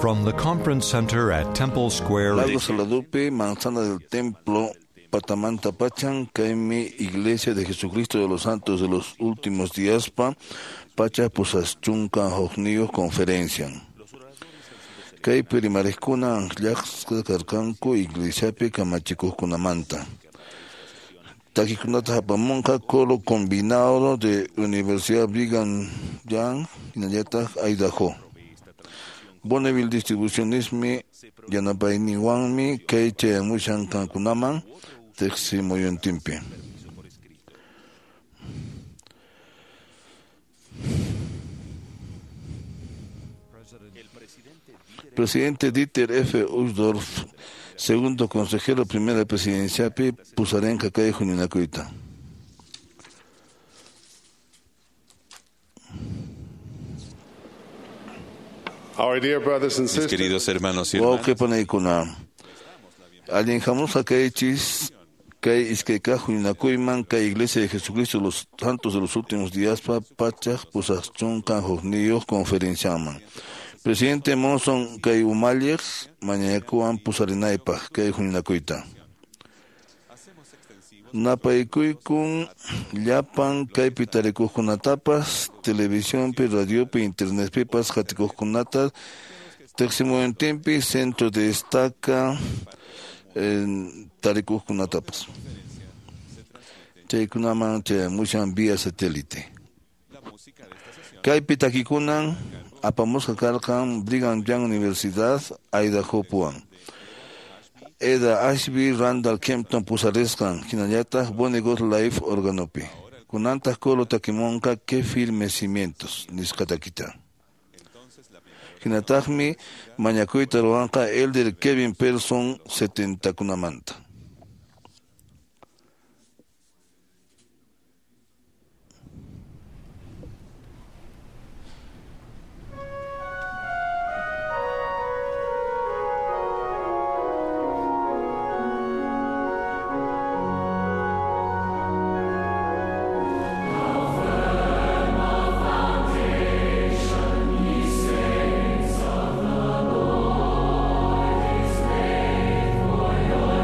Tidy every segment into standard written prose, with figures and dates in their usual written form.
From the Conference Center at Temple Square. Lago Saladupe, Manzana del Templo, Patamanta Pachan, Kaimi, Iglesia de Jesucristo de los Santos de los Últimos Días, Pa, Pacha Pusaschunca, Hojnios, Conferencia. Kaypi rimarikuna anqllaqsqa karqanku iglesiapi kamachikuqkunamanta. Takikunata apamunqa coro combinado de Universidad Brigham Young hinallataq Idaho. Bonneville Distribucionismi yanapayninwanmi kay chayamushan qankunaman tiqsimuyuntinpi. Presidente Dieter F. Uchtdorf, segundo consejero primera presidenciapi, pusarenqa kay huñunakuyta. Our dear brothers and Mis sisters, queridos hermanos y hermanas, Wawqi panaykuna, allin hamusqa kaychis kay iskay kaq huñunakuyman kay Iglesia de Jesucristo de los Santos de los Últimos Días pa pachaq pusaq chunka hukniyuq conferenciaman. Presidente Monson kay umalliq mañakuwan pusarinaypaq kay huñunakuyta. Napaykuykun llapan kaypi tarikuqkunatapas televisionpi, radiopi, internetpipas qatikuqkunata tiqsimuyuntinpi centro de estaca tarikuqkunatapas. Chaykunaman chayamushan vía satélite. Kaypi takikunan apamusqa karqan Brigham Young Universidad Idaho puwan. Eda Ashby Randall Kempton pusarisqan hinallataq Bonnie God Life organopi. Kunantaq coro takimunqa Que firmes cimientos nisqa takita. Hinataqmi mañakuyta ruwanqa Elder Kevin Person 70kunamanta.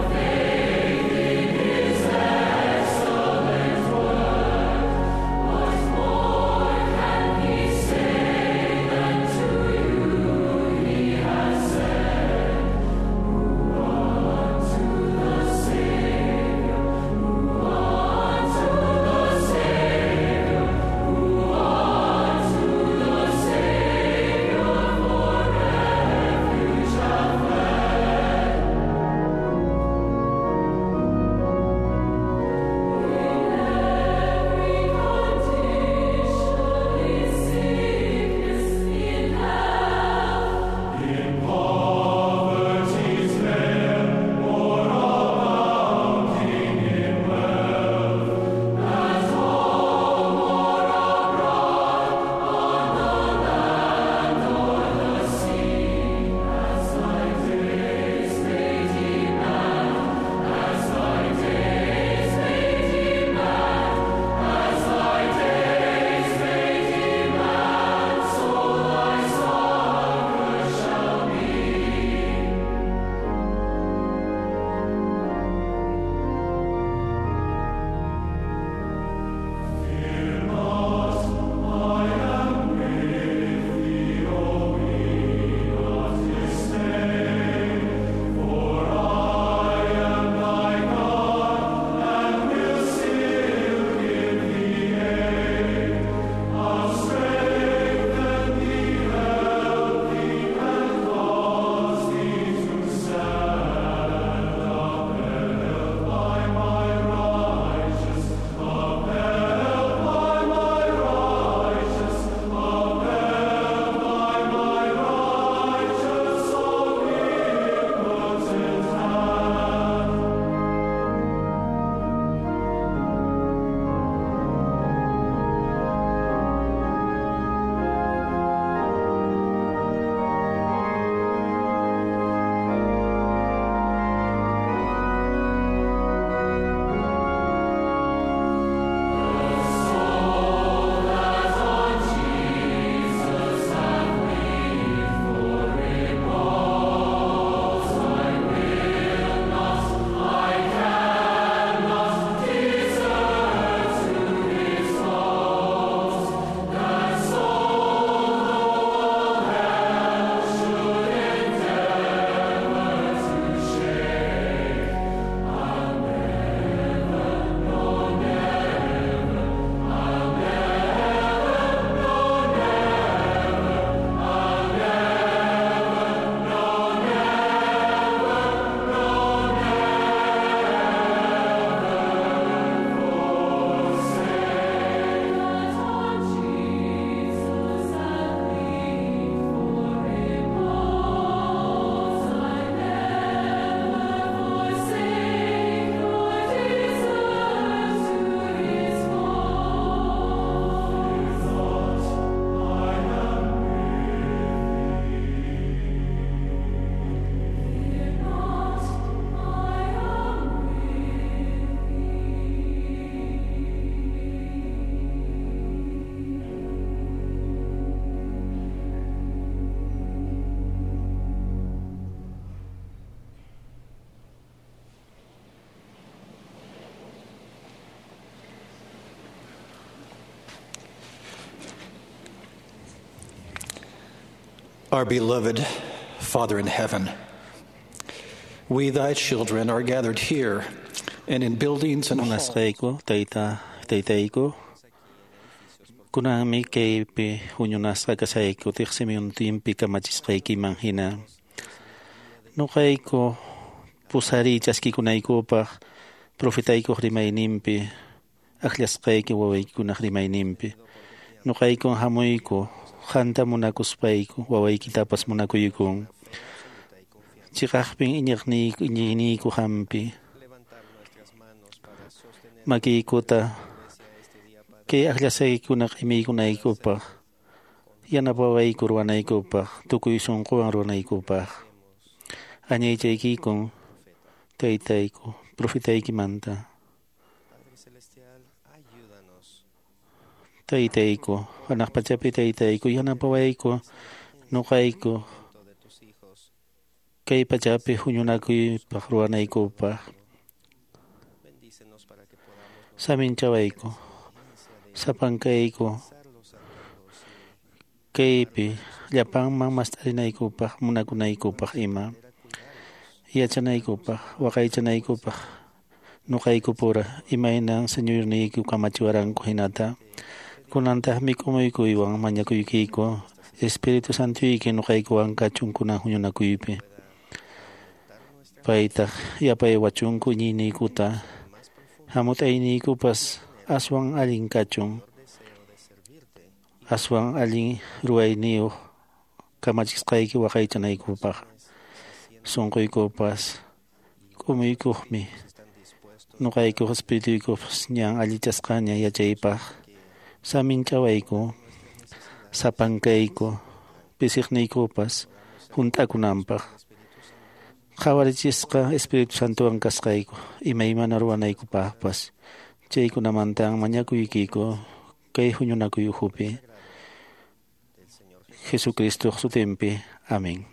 Faithful Our beloved Father in heaven, we, thy children, are gathered here and in buildings and halls. Munasqayku tayta taytayku kunanmi kaypi huñunasqa kashayku tiqsimiyuntinpi kamachisqaykiman hina nuqayku pusariy chaskikunaykupaq profetaykuq rimayninpi akllasqayki wawaykikunaq rimayninpi nuqaykun hamuyku qanta munakuspayku wawaykitapas munakuykun chiqaqpin iñiqniyku iñiyniyku qampi makiykuta kay akllasqaykikunaq imiykunaykupaq yanapawayku ruwanaykupaq tukuy sunquwan ruwanaykupaq añaychaykikun taytayku profetaykimanta taytayku hanaq pachapi taytayku yanapawayku nuqayku kay pachapi huñunakuypaq ruwanaykupaq saminchawayku sapankayku kaypi llapanman mast'arinaykupaq munakunaykupaq ima yachanaykupaq waqaychanaykupaq nuqaykupura imaynan señorniyku kamachiwaranku hinata kunantaqmi k'umuykuywan mañakuykiku Espíritu Santuyki nuqaykuwan kachun kunan huñunakuypi paytaq yapaywachunku iñiyniykuta hamut'ayniykupas aswan allin kachun aswan allin ruwayniyuq kamachisqayki waqaychanaykupaq sunquykupas k'umuykuqmi nuqaykuq espirituykupas ñan allichasqaña yachaypaq saminchawayku sapankayku pisiqniykupas hunt'akunanpaq qhawarichisqa Espíritu Santowan kasqayku imaymana ruwanaykupaqpas chaykunamantan mañakuykiku kay huñunakuy ukhupi Jesucristoq sutinpi. Amén.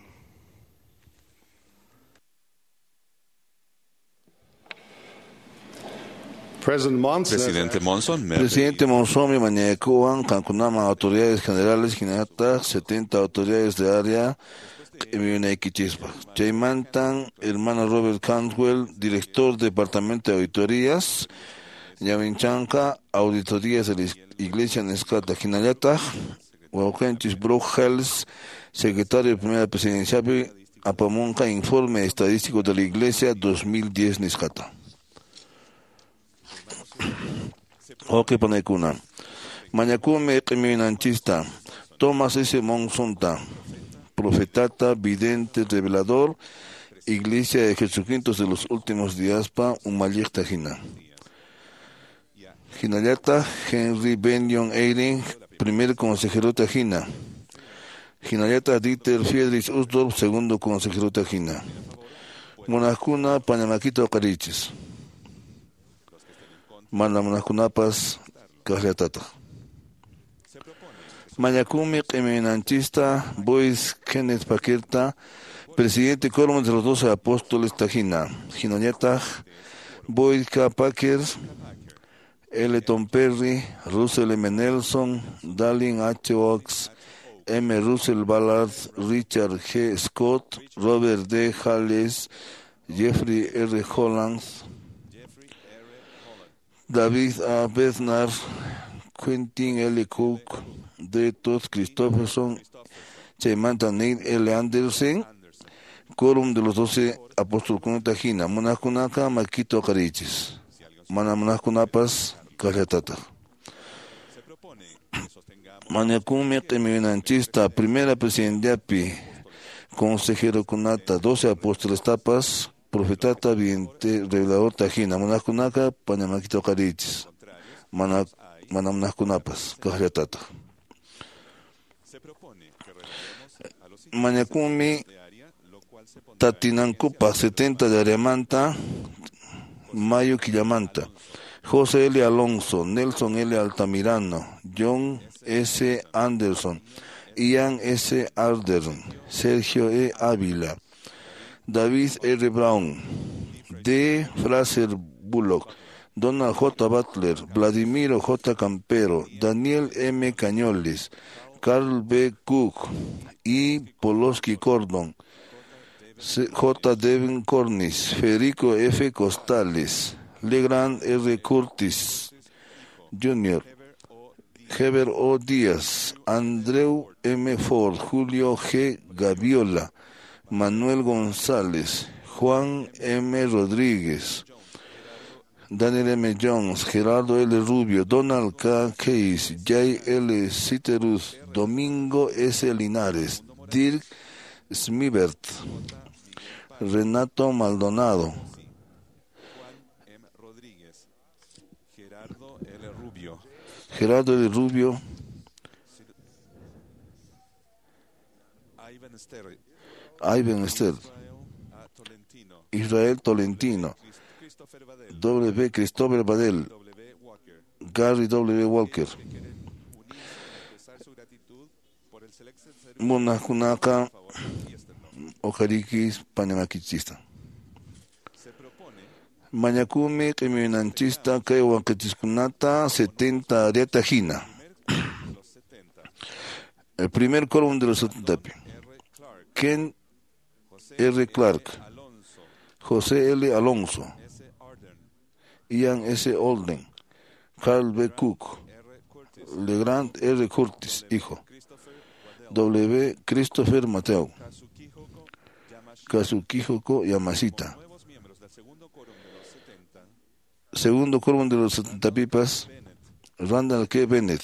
President Monson. Presidente Monson, me ha Presidente Monzón mi mañakuwan qankunaman autoridades generales hinallataq 70 autoridades de área q'imiyunaykichispaq. Chaymantan hermano Robert Cantwell, director Departamento de Auditorías, ñawinchanqa Auditorías de la Iglesia nisqata hinallataq wawqinchis Brock Hales, secretario de Primera Presidenciapi apamunqa Informe Estadístico de la Iglesia 2010 nisqata. Wawqi panaykuna, mañakumi q'imiyunanchista Thomas S. Monsonta, profetata, vidente, revelador, Iglesia de Jesucristo de los últimos días pa umalliqta hina. Hinallataq Henry Benyon Eyring, primer consejero hina. Hinallataq Dieter Friedrich Uchtdorf, segundo consejero hina. Munaqkuna pañamakita uqarichis. Mana munaqkunapas kaqllatataq. Mañakumi q'imiyunanchista Boyce Kenneth Paquerta, presidente quórum de los 12 apóstoles tajina. Hinallataq Boyd K. Packer, L. Tom Perry, Russell M. Nelson, Dallin H. Oaks, M. Russell Ballard, Richard G. Scott, Robert D. Hales, Jeffrey R. Holland, David A. Bednar, Quentin L. Cook, D. Todd Christopherson, Chaymanta Neil L. Anderson, Quórum de los 12 Apóstoles Tajina, Munaqkunaqa makita uqarichis, mana munaqkunapas kaqllatataq. Mañakunmi q'imiyunanchista primera presidenciapi consejerokunata 12 apóstolestapas profetata vidente revelador tajina munaqkunaqa pañamakita uqarichis, mana munaqkunapas kaqllatataq. Mañakunmi tatinankupaq 70 de areamanta mayo quillamanta José L. Alonso, Nelson L. Altamirano, John S. Anderson, Ian S. Ardern, Sergio E. Ávila, David R. Brown, D. Fraser Bullock, Donald J. Butler, Vladimiro J. Campero, Daniel M. Cañoles, Carl B. Cook, E. Poloski Cordon, J. Devin Cornish, Federico F. Costales, Legrand R. Curtis Jr., Heber O. Díaz, Andreu M. Ford, Julio G. Gaviola, Manuel González, Juan M. Rodríguez, Daniel M. Jones, Gerardo L. Rubio, Donald K. Case, J. L. Citerus, Domingo S. Linares, Dirk Smibert, Renato Maldonado, Gerardo L. Rubio, Ivan Ster, Israel Tolentino, W. Christopher Badel, Gary W. Walker. Munakunaka Ojarikis Panamakichista. Mañakumi Q'imiyunanchista kay waqichiskunata 70 ariata hina. El primer quórum de los 70. Ken R. Clark, José L. Alonso, Ian S. Olden, Carl B. Cook, Legrand R. Curtis, hijo, W. Christopher Mateo, Kazuki-Hoko Yamashita. Segundo quórum de los 70 pipas, Randall K. Bennett,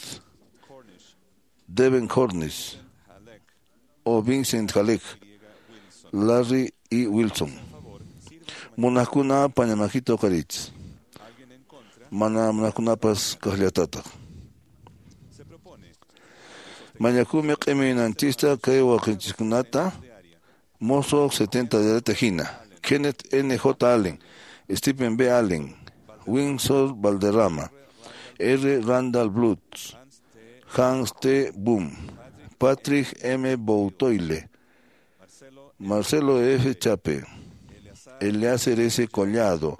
Devin Cornish, o Vincent Halleck, Larry E. Wilson. Munakuna pañamajito karich. Mana munakunapas kaqllatata. Mañakumi q'imiyunanchista kay waqichiskunata Mozo 70 de Tejina, Kenneth N. J. Allen, Stephen B. Allen, Windsor Valderrama, R. Randall Blutz, Hans T. Boom, Patrick M. Boutoile, Marcelo F. Chape, Eleazar S. Collado,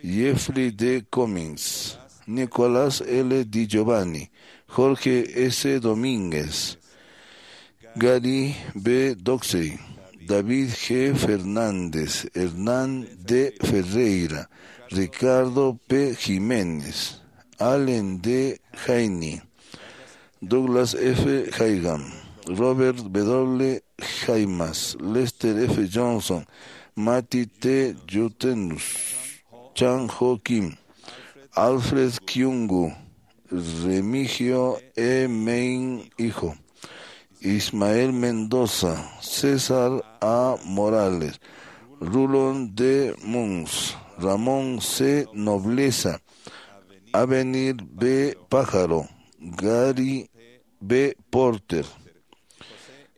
Jeffrey D. Cummings, Nicolás L. Di Giovanni, Jorge S. Domínguez, Gary B. Doxey, David G. Fernández, Hernán D. Ferreira, Ricardo P. Jiménez, Allen D. Jaini, Douglas F. Haigam, Robert W. Jaimas, Lester F. Johnson, Matty T. Jutenus, Chan Ho Kim, Alfred Kyungu, Remigio E. Main Hijo, Ismael Mendoza, César A. Morales, Rulon D. Muns, Ramón C. Nobleza, Avenir B. Pájaro, Gary B. Porter,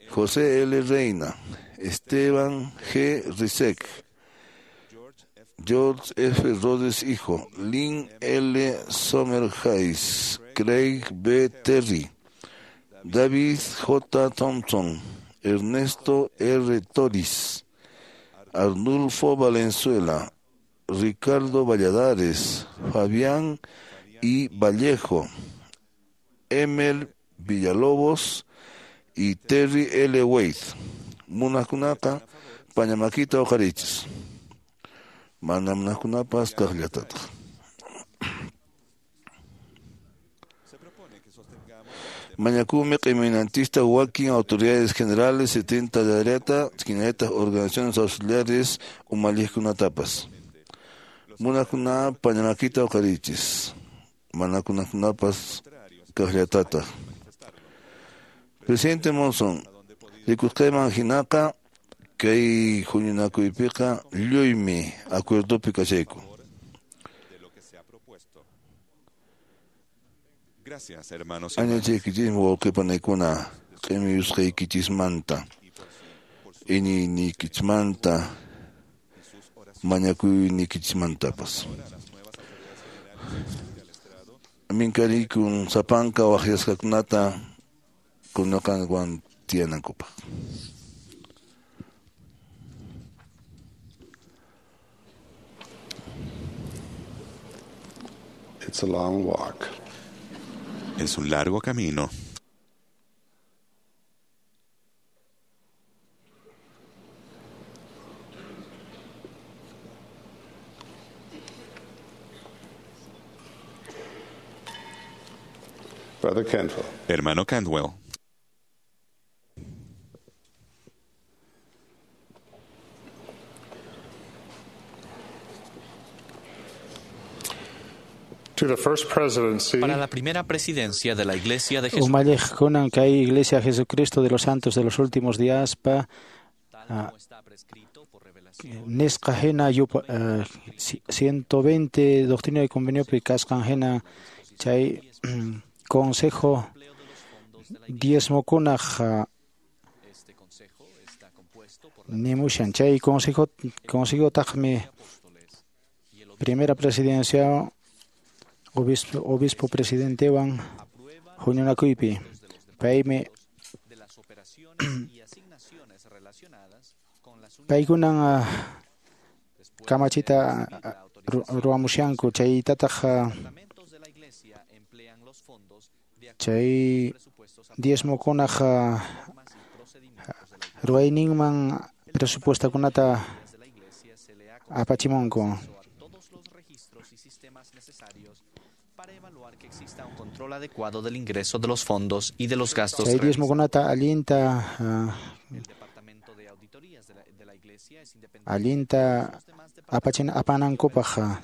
José L. Reina, Esteban G. Rizek, George F. Rhodes Hijo, Lynn L. Sommerheis, Craig B. Terry, David J. Thompson, Ernesto R. Toris, Arnulfo Valenzuela, Ricardo Valladares, Fabián I. Vallejo, Emel Villalobos y Terry L. Wade. Munakunaka, Pañamaquita Ojarichis. Manamnakunapas kaqllatata. Mañakumi q'iminantista wakin autoridades generales 70 de areta, quineta organizaciones auxiliares umalliqkunatapas. Munakuna pañamakita uqarichis. Manakunakunapas kaqllatata. Presidente Monson, rikusqayman hinaqa kay huñunakuypiqa lluymi acuerdopi kachayku. Añachaykichismi wawqipanaykuna q'imiyusqaykichismanta, iñiyniykichismanta, mañakuyniykichismantapas. Minkariykun sapanka waqyasqakunata kunaqanwan tiyanankupaq. It's a long walk. Es un largo camino. Brother Cantwell. Hermano Cantwell. To the First Presidency, Para la primera presidencia de la Iglesia de Jesucristo, Umalliqkunan kay Iglesia Jesucristo de los Santos de los Últimos Días pa tal como está prescrito por revelación, nisqa hina 120 doctrina y convenio kasqan hina chay consejo diezmokunaq este consejo está compuesto por la nimushan chay consejo taqmi apóstoles y el primera presidencia obispo presidentewan aprueba huñunakuypi paymi de las operaciones y asignaciones relacionadas con las unidades paykunan después de kamachita recibir la autorización. ruwamushanku chaytataq Departamentos de la Iglesia emplean los fondos de acuerdo chay con presupuestos diezmokunaq normas y procedimientos de la Iglesia. ruwayninman presupuestakunata De la Iglesia se le ha apachimunku acceso a todos los registros y sistemas necesarios para evaluar que exista un control adecuado del ingreso de los fondos y de los gastos chay realizados. diezmokunata allinta El Departamento de Auditorías de la Iglesia es independiente allinta de los demás apachin apanankupaq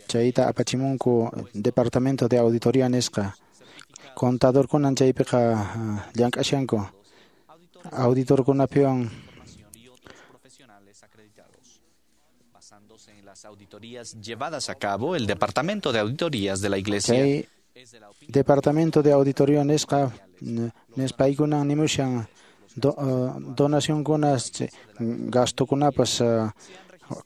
chayta apachimunku departamento de auditoría nisqa contadorkunan chaypiqa llank'ashanku auditorkunapiwan formación y otros profesionales acreditados. Basándose en las auditorías llevadas a cabo, el Departamento de Auditorías de la Iglesia chay es de la opinión departamento de auditoría nisqa nispaykunan nimushan donacionkunas gastokunapas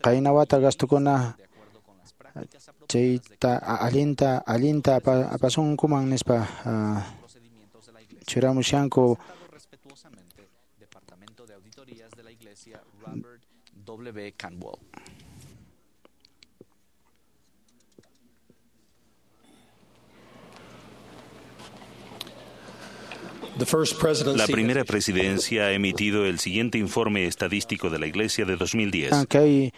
qayna wata gastukuna de acuerdo con las prácticas apropiadas chayta allinta apasunkuman nispa procedimientos de la Iglesia. churamushanku Presentado respetuosamente, Departamento de Auditorías de la Iglesia, Robert W. Cantwell. The First Presidency La primera presidencia ha emitido el siguiente informe estadístico de la Iglesia de 2010. Kay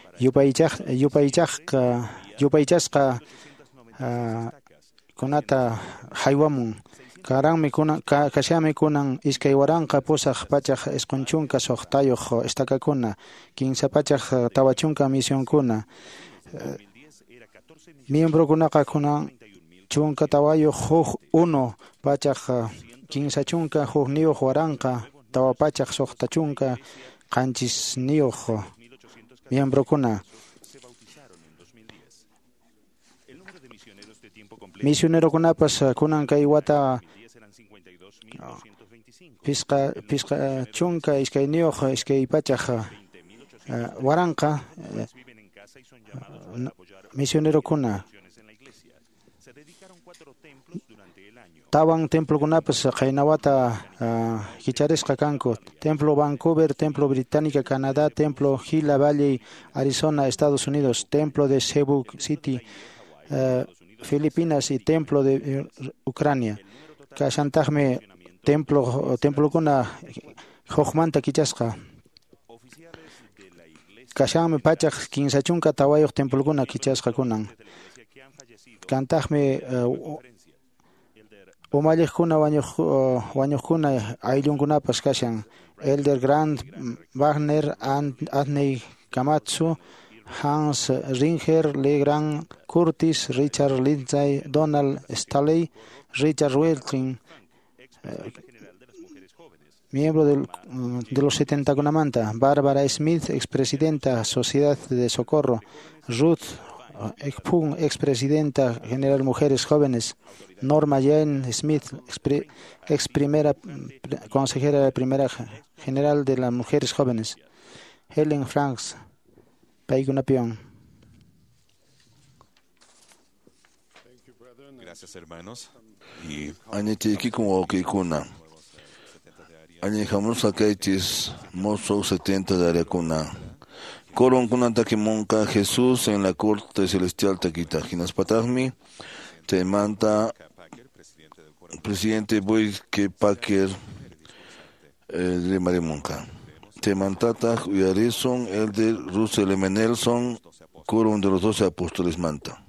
yupaychasqa kunata haywamun karanmi kunan kashanmi kunan 2896 estakakuna 340 misionkuna miembrokunaqa kunan 14 1 31 467 miembrokuna. Misionerokunapas kunan kay wata pisqa 12 200 waranqa misionerokuna. Tawan templokunapas qayna wata kicharisqa kanku. Templo Vancouver, Templo Británica, Canadá, Templo Gila Valley, Arizona, Estados Unidos, Templo de Cebu City, Filipinas y Templo de Ucrania. Kashantaqmi templokuna hukmanta kichasqa. Kashanmi 134 templokuna kichasqa kunan. Kantaqmi umalliqkuna wañuqkuna ayllunkunapas kashan. Elder Grant Wagner, Adney Kamatsu, Hans Ringer, Lee Grant Curtis, Richard Lindsay, Donald Staley, Richard Wilkin, miembro de los 70 Kunamanta, Bárbara Smith, expresidenta Sociedad de Socorro, Ruth Ekpun, expresidenta general Mujeres Jóvenes, Norma Jane Smith, ex primera consejera de primera general de las Mujeres Jóvenes, Helen Franks, paykunapiwan. Gracias, hermanos. Y Añachaykikun wawqiykuna. Añihamusqa kaychis mozo 70 de áreakuna. Coron takimunqa Jesús en la corte celestial takita. Hinaspataqmi chaymanta presidente Boyd K. Packer rimarimunqa. Chaymantataq uyarisun Elder Russell M. Nelson, quórum de los 12 apóstoles manta.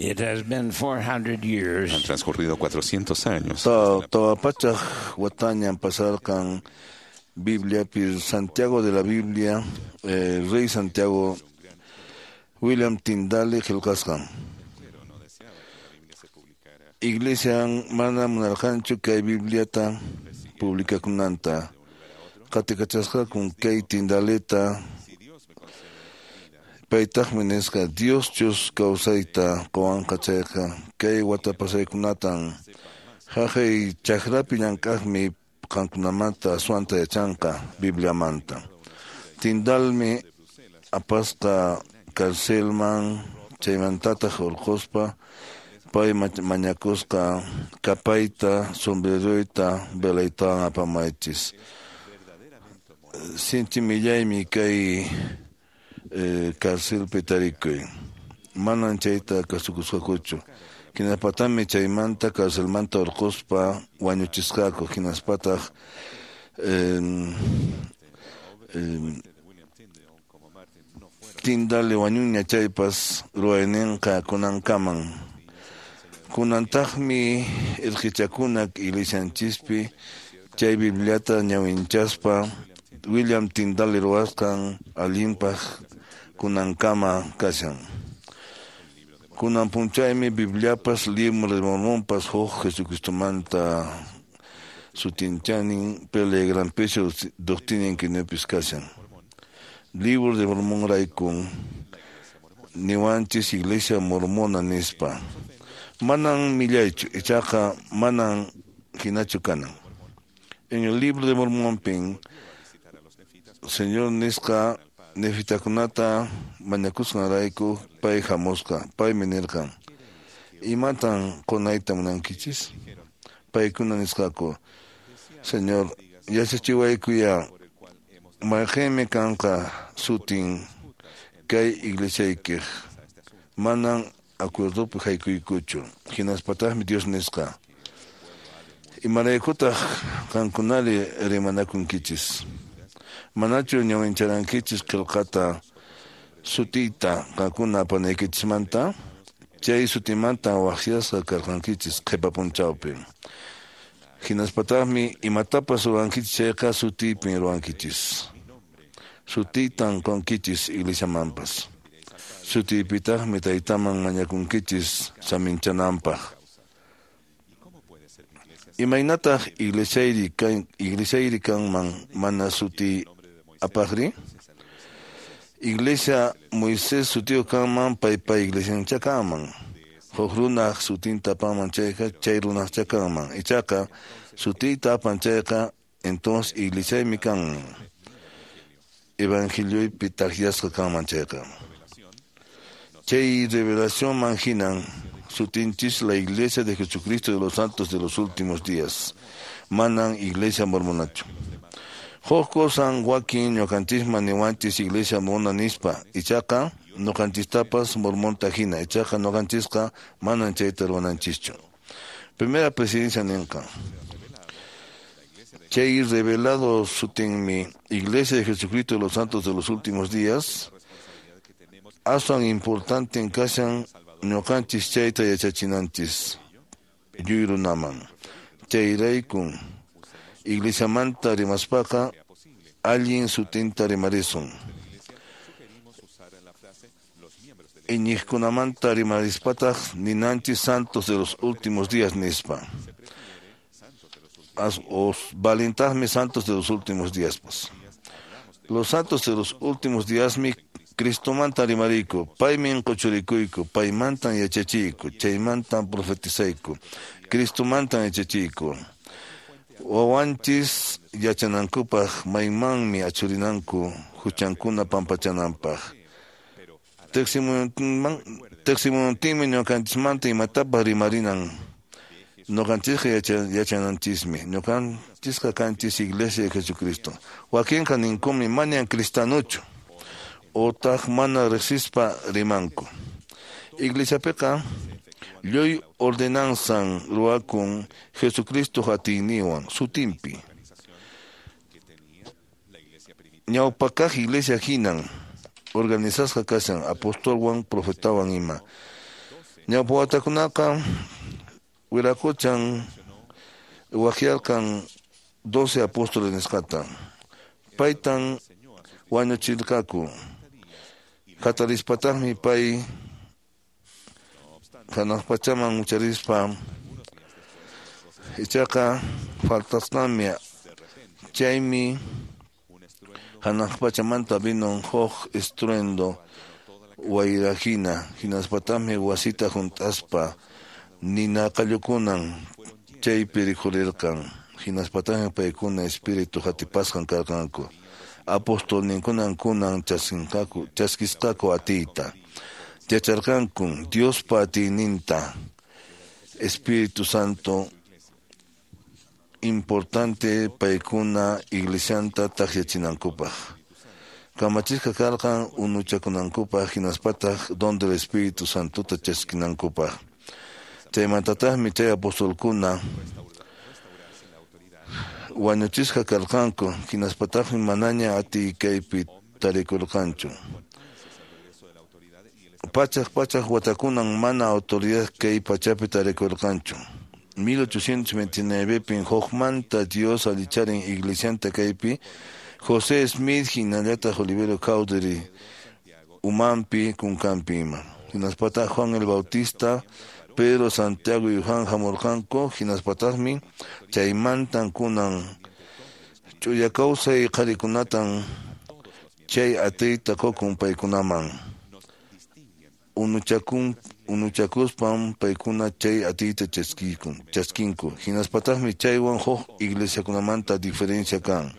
It has been 400 years. Han transcurrido 400 años. Tawa pachaq watañan pasarqan Bibliapi Santiago de la Biblia, Rey Santiago William Tyndale qillqasqan. Iglesian mana munarqanchu kay Bibliata publikakunanta. Qatikachasqakun kay Tyndaleta. Paytaqmi nisqa Dioschus kawsayta quwanqa chayqa kay wata pasaykunatan haqay chakrapi llank'aqmi qankunamanta aswanta yachanqa Bibliamanta. Tyndalmi apasqa carcelman chaymantataq hurquspa pay mañakusqa kapayta, sombreroyta, velaytawan apamaychis. Sinchi millaymi kay carcelpi tarikuy. Manan chayta kasukusqakuchu. Hinaspatami chaymanta carcelmanta hurquspa wañuchisqaku. Hinaspataq Tyndale wañuña chaypas ruwayninqa kunankaman. Kunantaqmi irqichakuna iglesianchispi chay Bibliata ñawinchaspa William Tyndale ruwasqan allinpaq kunankama kashan. Kunan punchaymi Bibliapas Libro de Mormonpas huk Jesucristomanta sutinchanin pele gran peso doctrina kinepis kashan. Libro de Mormón raykun niwanchis iglesia mormona nispa. Manan millaychu ichaqa manan hinachu kanan. En el Libro de Mormón pin Señor nisqa nefitakunata mañakusqanrayku pay hamusqa, paymi nirqan: Imatan qunayta munankichis? Paykuna nisqaku: Señor, yachachiwaykuya mayqinmi kanqa sutin kay iglesiaykiq. Manan acuerdopi haykuykuchu. Hinaspataqmi Dios nisqa: Imaraykutaq qankunari rimanakunkichis? Manachu ñawincharankichis qillqata sutiyta qankuna apanaykichismanta? Chay sutimanta waqyasqa karqankichis qhipa punchawpi. Hinaspataqmi imatapas ruwankichis chayqa sutiypin ruwankichis. Sutiytan qunkichis iglesiamanpas. Sutiypitaqmi taytaman mañakunkichis saminchananpaq. Imaynataq iglesiayri kanman mana suti apaqri? Iglesia Moisés sutiyuq kanman paypa iglesiancha kanman. Huk runaq sutinta apanman chayqa chay runaqcha kanman. Ichaqa sutiyta apan chayqa entonces iglesiaymi kanman. Evangelioypi takyasqa kanman chayqa. Chay revelacionman hinan sutinchis la Iglesia de Jesucristo de los Santos de los Últimos Días. Manan Iglesia Mormonachu. Huk kusan wakin ñuqanchisman niwanchis Iglesia Mormona nispa. Ichaqa ñuqanchistapas mormonta hina. Ichaqa ñuqanchisqa manan chayta ruwananchischu. Primera presidencia ninqa: Chay revelado sutinmi Iglesia de Jesucristo de los Santos de los Últimos Días. Aswan importante kashan ñuqanchis chayta yachachinanchis yuyrunaman. Chayraykun iglesiamanta rimaspaqa allin sutinta rimarisun. Iñiqkunamanta rimarispataq ninanchis santos de los últimos días nispa. Os valintaqmi santos de los últimos días pues. Los santos de los últimos días mi Cristomanta rimariyku, paymi quchurikuyku, paymantan yachachiyku, chaymantan profetizayku, Cristomantan yachachiyku. Wawanchis yachanankupaq maymanmi achurinanku huchankuna pampachananpaq. Tiqsimuyuntinmi ñuqanchismanta imatapas rimarinan. Ñuqanchisqa yachananchismi. Ñuqanchisqa kanchis Iglesia de Jesucristo. Wakinqa ninkumi mañan cristianochu. Otaq mana riqsispa rimanku. Iglesiapiqa lluy ordenanzan ruwakun Jesucristo atiyninwan sutinpi. Ñawpakaq iglesia hinan organizasqa kashan apostolwan profetawan ima. Ñawpa watakunaqa Wiraquchan waqyarqan 12 apóstoles nisqata. Paytan wañuchirqaku. Hatarispataqmi pay hanaq pachaman ucharispa ichaqa faltasqanmi chaymi hanaq pachamanta vino huk estruendo wayrahina hinaspataqmi wasita hunt'aspa nina qallukunan chaypi rikhurirqan hinaspataqmi paykuna espíritu hatipasqan karqanku apostolninkunan kunan chaskisqaku atiyta yacharqankun Diospa atiyninta Espíritu Santo importante paykuna iglesianta takyachinankupaq kamachisqa karqan unuchakunankupaq hinaspataq don del Espíritu Santota chaskinankupaq chaymantataqmi chay apostolkuna wañuchisqa karqanku hinaspataqmi manaña atiy kaypi tarikurqanchu pachaq pachaq watakunan mana autoridad kay pachapi tarikurqanchu 1829 pin hukmanta Dios allicharin iglesianta kaypi José Smith hinallataq Olivero Cowdery umanpi kunkanpi ima hinaspataq Juan el Bautista Pedro, Santiago y Juan hamurqanku hinaspataqmi chaymantan kunan ch'uya kawsay qharikunatan chay atiyta qukun paykunaman unuchakuspan paykuna chay atiyta chaskinku hinaspataqmi chaywan huk iglesiakunamanta diferencia kan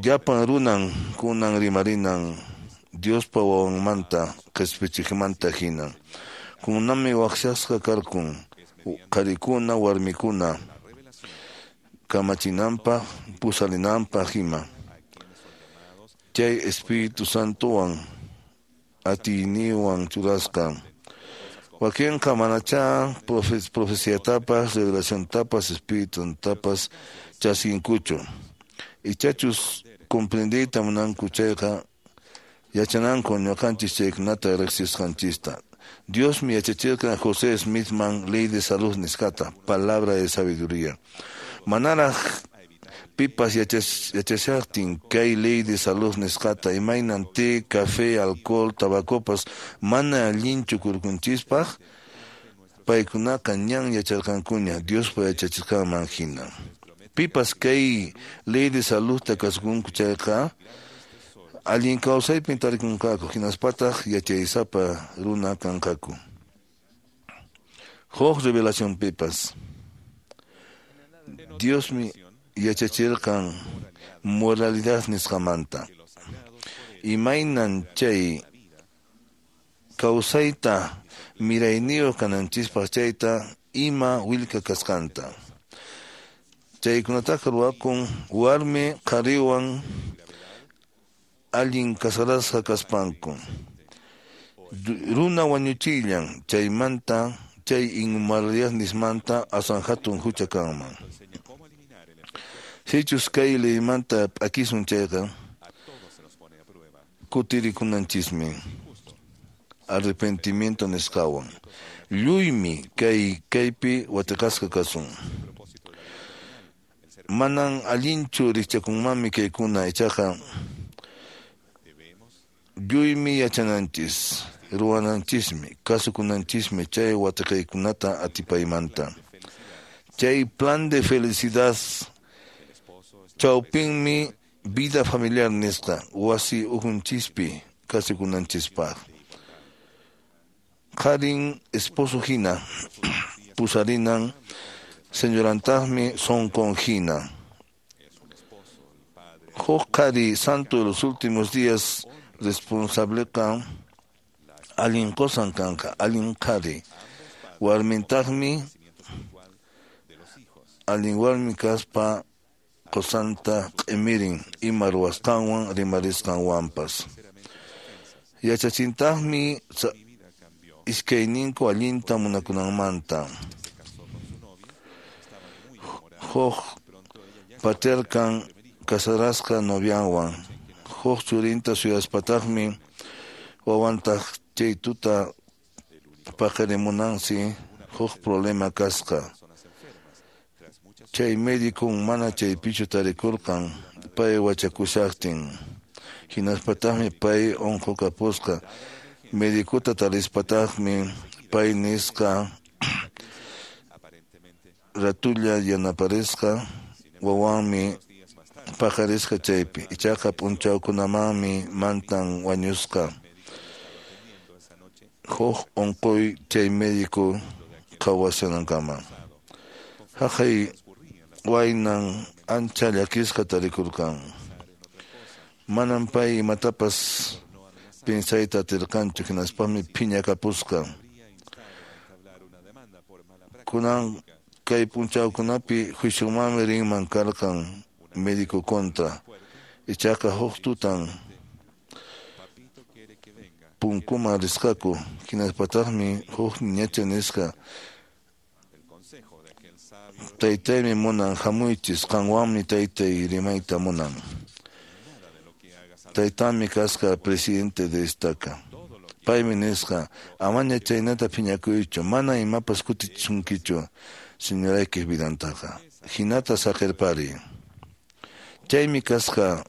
llapan runan kunan rimarinan Diospa wawanmanta qispichiqmanta hina kunanmi waqyasqa karqun qharikuna warmikuna kamachinanpaq pusarinanpaq ima chay Espíritu Santowan atiyninwan churasqa wakinqa manachá profeciatapas revelaciontapas espirituntapas chaskinkuchu ichachus comprendiyta munanku chayqa yachananku ñuqanchis chaykunata riqsisqanchista Diosmi yachachirqan José Smithman ley de salud nisqata palabra de sabiduría manaraq pipas yachashaqtin kay ley de salud nisqata imaynan té, café, alcohol, tabacopas mana allinchu kurkunchispaq paykunaqa ñan yacharqankuña Diospa yachachisqanman hina pipas kay ley de saludta kasukunku chayqa allin kawsaypin tarikunqaku hinaspataq yachaysapa runa kanqaku huk revelacionpipas Diosmi yachachirqan moralidad nisqamanta imaynan chay kawsayta mirayniyuq kananchispaq chayta ima willka kasqanta chaykunataqa ruwakun warmi qhariwan allin kasarasqa kaspanku runa wañuchillan chaymanta chay inmoralidad nismanta aswan hatun hucha kanman sichus kay leymanta p'akisun chayqa kutirikunanchismi arrepentimiento nisqawan lluymi kay kaypi watiqasqa kasun manan allinchu rikchakunmanmi kaykuna ichaqa lluymi yachananchis ruwananchismi kasukunanchismi chay watiqaykunata atipaymanta chay plan de felicidad chawpinmi vida familiar nisqa wasi ujunchispi kasukunanchispaq qharin esposo hina pusarinan señorantaqmi sonqon hina huk qhari santo de los últimos días responsableqa allin qosan kanqa allin qhari warmintaqmi allin warmi kaspa qosanta q'imirin ima ruwasqanwan rimarisqanwanpas yachachintaqmi iskayninku allinta munakunanmanta huk paterkan kasarasqa novianwan huk churinta suyaspataqmi Wawantaq chay tuta paqarimunansi huk problema kasqa. Chay médicon mana chaypichu tarikurqan pay wachakushaqtin. Hinaspataqmi pay unqukapusqa. Medicota tarispataqmi pay nisqa ratulla yanaparisqa wawanmi paqarisqa chaypi. Ichaqa p'unchawkunamanmi mantan wañusqa. Huk unquy chay médico qhawashanankama. Haqay waynan ancha llakisqa tarikurqan. Manam pay imatapas pinsayta atirqanchu hinaspami phiñakapusqa. Kunan kay p'unchawkunapi juiciomanmi rinman karqan médico contra. Ichaqa huk tutan punkuman risqaku hinaspataqmi huk niñacha nisqa taytaymi munan hamuychis qanwanmi taytay rimayta munan. Taytanmi kasqa presidente de estaca. Paymi nisqa amaña chaynata phiñakuychu mana imapas kutichisunkichu señoraykiq vidantaqa. Hinata saqirpari. Chaymi kasqa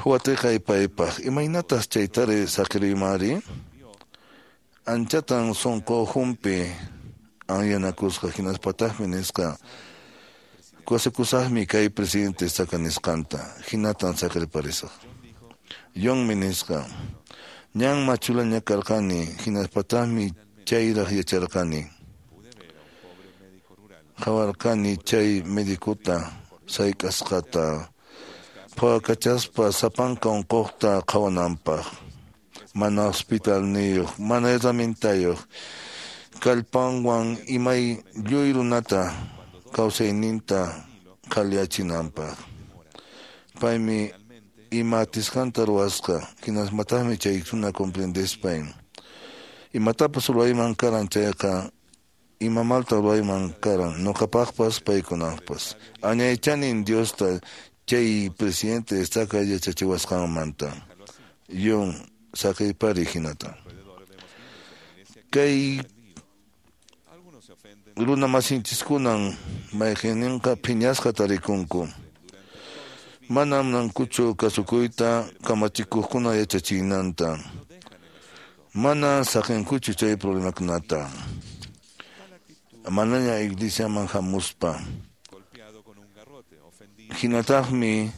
watiqay paypaq. Imaynatas chaytari saqiriymari? Anchatan sunquhunpi anyanakusqa hinaspataqmi nisqa kusikusaqmi kay presidente estaca nisqanta. Hinatan saqirparisaq. Johnmi nisqa ñan machulaña karqani hinaspataqmi chayraq yacharqani. Qhawarqani chay medicota sayk'asqata phawakachaspa sapanka unquqta qhawananpaq. Mana hospitalniyuq, mana herramientayuq, kallpanwan imay lluy runata kawsayninta qhaliyachinanpaq. Paymi ima atisqanta ruwasqa, hinaspataqmi chay runa comprendespay. Imatapas ruwayman karan chayqa ima malta ruwayman karan ñuqapaqpas paykunapaqpas. Añaychanin Diosta chay presidente estaca yachachiwasqanmanta. Yun saqirpari hinata. Kay runa masinchikkunan mayqinninqa phiñasqa tarikunku. Manam munankuchu kasukuyta kamachikuqkuna yachachinanta. Mana saqinkuchu chay problemakunata. Manaña iglesiaman hamuspa. Hinataqmi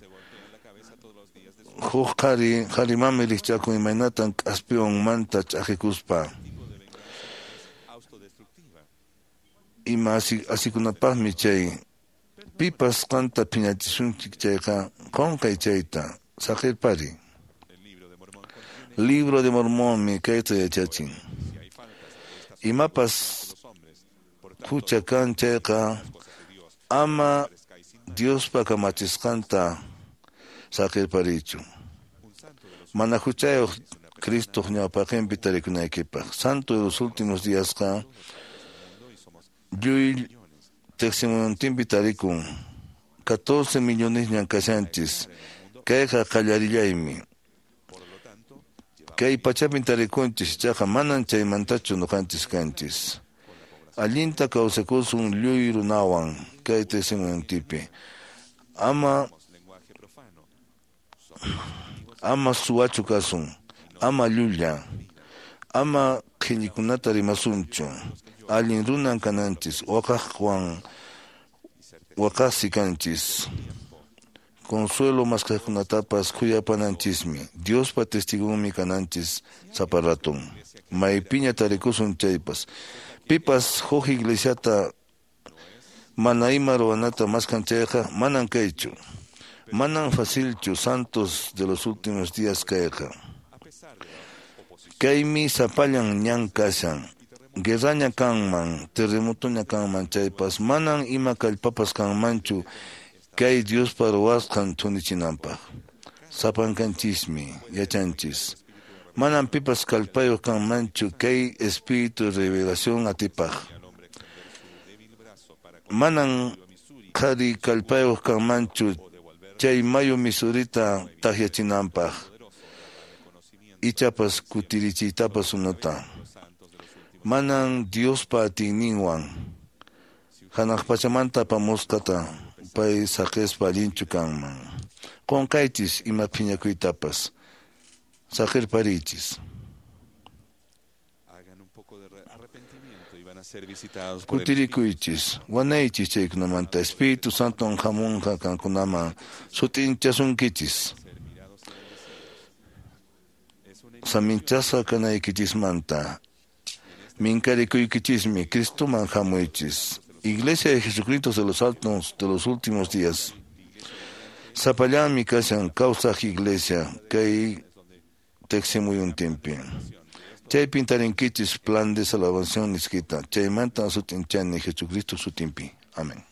huk qhari qharimanmi rikchakun imaynatan k'aspiwanmanta ch'aqikuspa. Ima asikunapaqmi chay pipas qanta phiñachisunchik chayqa qunqay chayta saqirpari. Libro de Mormonmi kayta yachachin. Imapas hucha kan chayqa ama Diospa kamachisqanta saqirparichu. Mana huchayuq Cristoq ñawpaqinpi tarikunaykipaq. Santo de los últimos díasqa lluy teqsimuntinpi tarikun. 14 millonesñan kashanchis. Kayqa qallarillaymi. Kay pachapin tarikunchis ichaqa manan chaymantachu ñuqanchis kanchis. Allinta kawsakusun lluy runawan kay teqsimuntinpi. Ama suwachu kasun, ama llulla, ama qhillikunata rimasunchu. Allin runan kananchis, waqaqwan waqaqsi kanchis. Consuelo maskaqkunatapas khuyapananchismi. Diospa testigonmi kananchis sapa raton. Maypiña tarikusun chaypas. Pipas huk iglesiata mana ima ruwanata maskan chayqa manan kaychu. Manan facilchu santos de los últimos días kayqa. Kaymi sapallan ñan kashan. Guerraña kanman, terremotoña kanman chaypas, manan ima kallpapas kanmanchu kay Diospa ruwasqan thunichinanpaq. Sapankanchismi, yachanchis. Manan pipas kallpayuq kanmanchu kay espíritu de revelación atipaq. Manan qhari kallpayuq kanmanchu chay mayu Misurita takyachinanpaq. Ichapas kutirichiytapas unuta. Manan Diospa atiyninwan hanaq pachamanta apamusqata pay saqispa allinchu kanman. Qunqaychis ima phiñakuytapas. Saqirpariychis. Kutirikuychis, wanaychis chaykunamanta Espíritu Santon hamunqa qankunaman sut'inchasunkichis. Saminchasqa kanaykichismanta minkarikuykichismi Cristoman hamuychis. Iglesia de Jesucristo de los Santos de los últimos días. Sapallanmi kashan kawsaq iglesia kay teqsimuyuntinpi. Chaypin tarinkichis plan de salvación nisqita. Chaymanta sut'inchani Jesucristo sutinpi. Amén.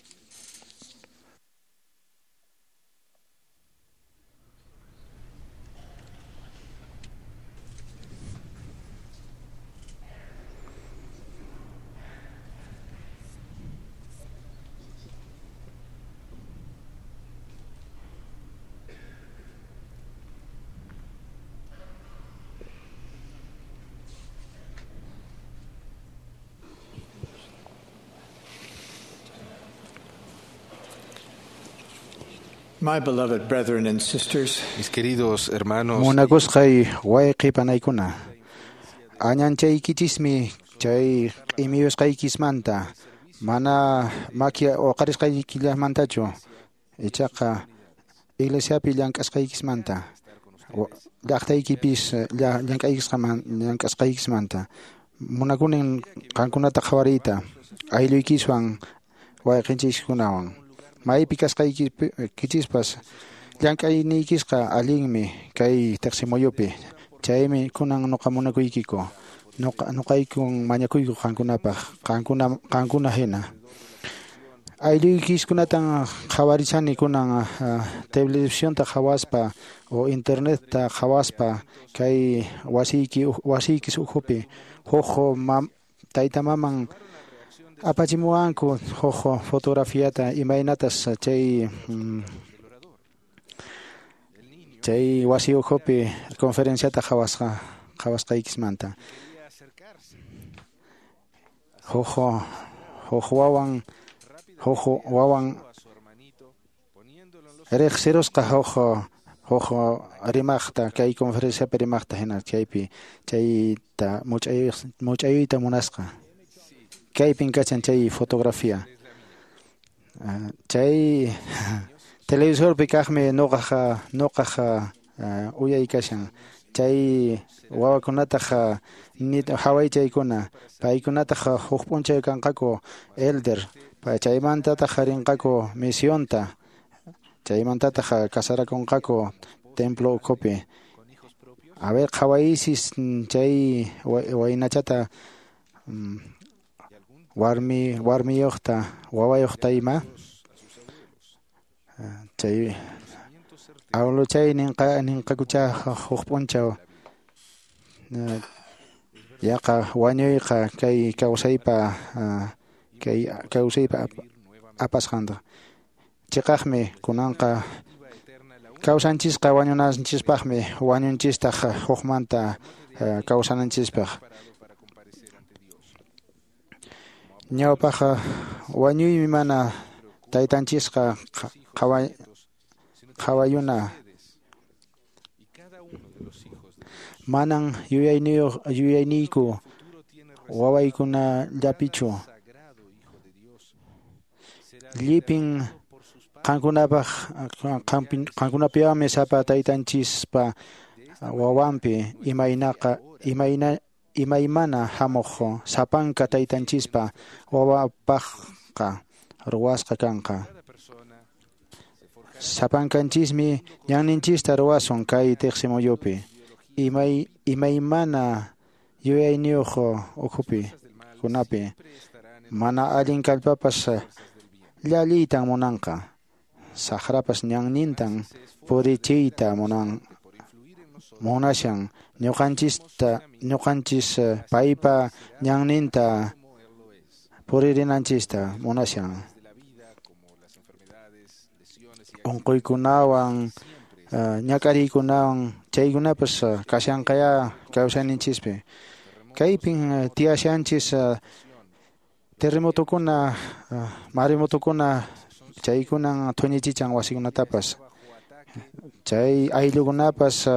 My beloved brethren and sisters, mis queridos hermanos, Munakusqay wayqi panaykuna. Añanchaykichismi chay q'imiyusqaykismanta mana maki uqarisqaykillamantachu ichaqa iglesiapi llank'asqaykismanta llaqtaykipis llank'asqaykismanta munakunin qankunata qhawariyta aylluykiswan wayqinchiskunawan maypi kasqaykichispas llank'ayniykisqa allinmi kay teqsimuyupi chaymi kunan nuqa munakuykiku nuqaykun mañakuyku qankunapaq qankuna hina aylluykiskunatan qhawarishani kunan televisionta qhawaspa o internetta qhawaspa kay wasiykis ukhupi huk tayta maman apachimuwanku huk fotografiata imaynatas chay chay wasi ukhupi conferenciata qhawasqaykismanta huk wawan riqsirusqa huk rimaqta kay conferenciapi rimaqta hina chaypi chayta much'ayuyta munasqa kaypin kachan chay fotografía chay televisorpi kaqmi nuqaq uyay kashan chay wawakunataq hawaychaykuna paykunataq huk p'unchay kanqaku elder chaymantataq rinqaku misionta chaymantataq casarakunqaku templo ukhupi a ver qhawaysis chay waynachata warmiyuqta wawayuqta ima chay awluchay ninqakucha huk p'unchaw yaqa wañuyqa kay kawsaypa apasqanta chiqaqmi kunanqa kawsanchisqa wañunanchispaqmi wañunchistaq hukmanta kawsananchispaq ñawpaqqa wañuymi mana taytanchisqa qhawayuna manan yuyayniyku wawaykunallapichu llipin qankunapiwanmi sapa taytanchispa wawanpi imaymana hamuq sapanka taytanchispa wawapaqqa ruwasqa kanqa sapankanchismi ñanninchista ruwasun kay teqsimuyupi imaymana yuyayniyuq ukhupi kunapi mana allin kallpapas llalliytan munanqa saqrapas ñannintan purichiyta munashan ñuqanchis paypa ñanninta puririnanchista munashan unquykunawan ñak'ariykunawan Chaykunapas kashanqaya kawsayninchispi. Kaypin tiyashanchis terremotokuna, maremotokuna chaykunan thuñichichan wasikunatapas. Chay ayllukunapas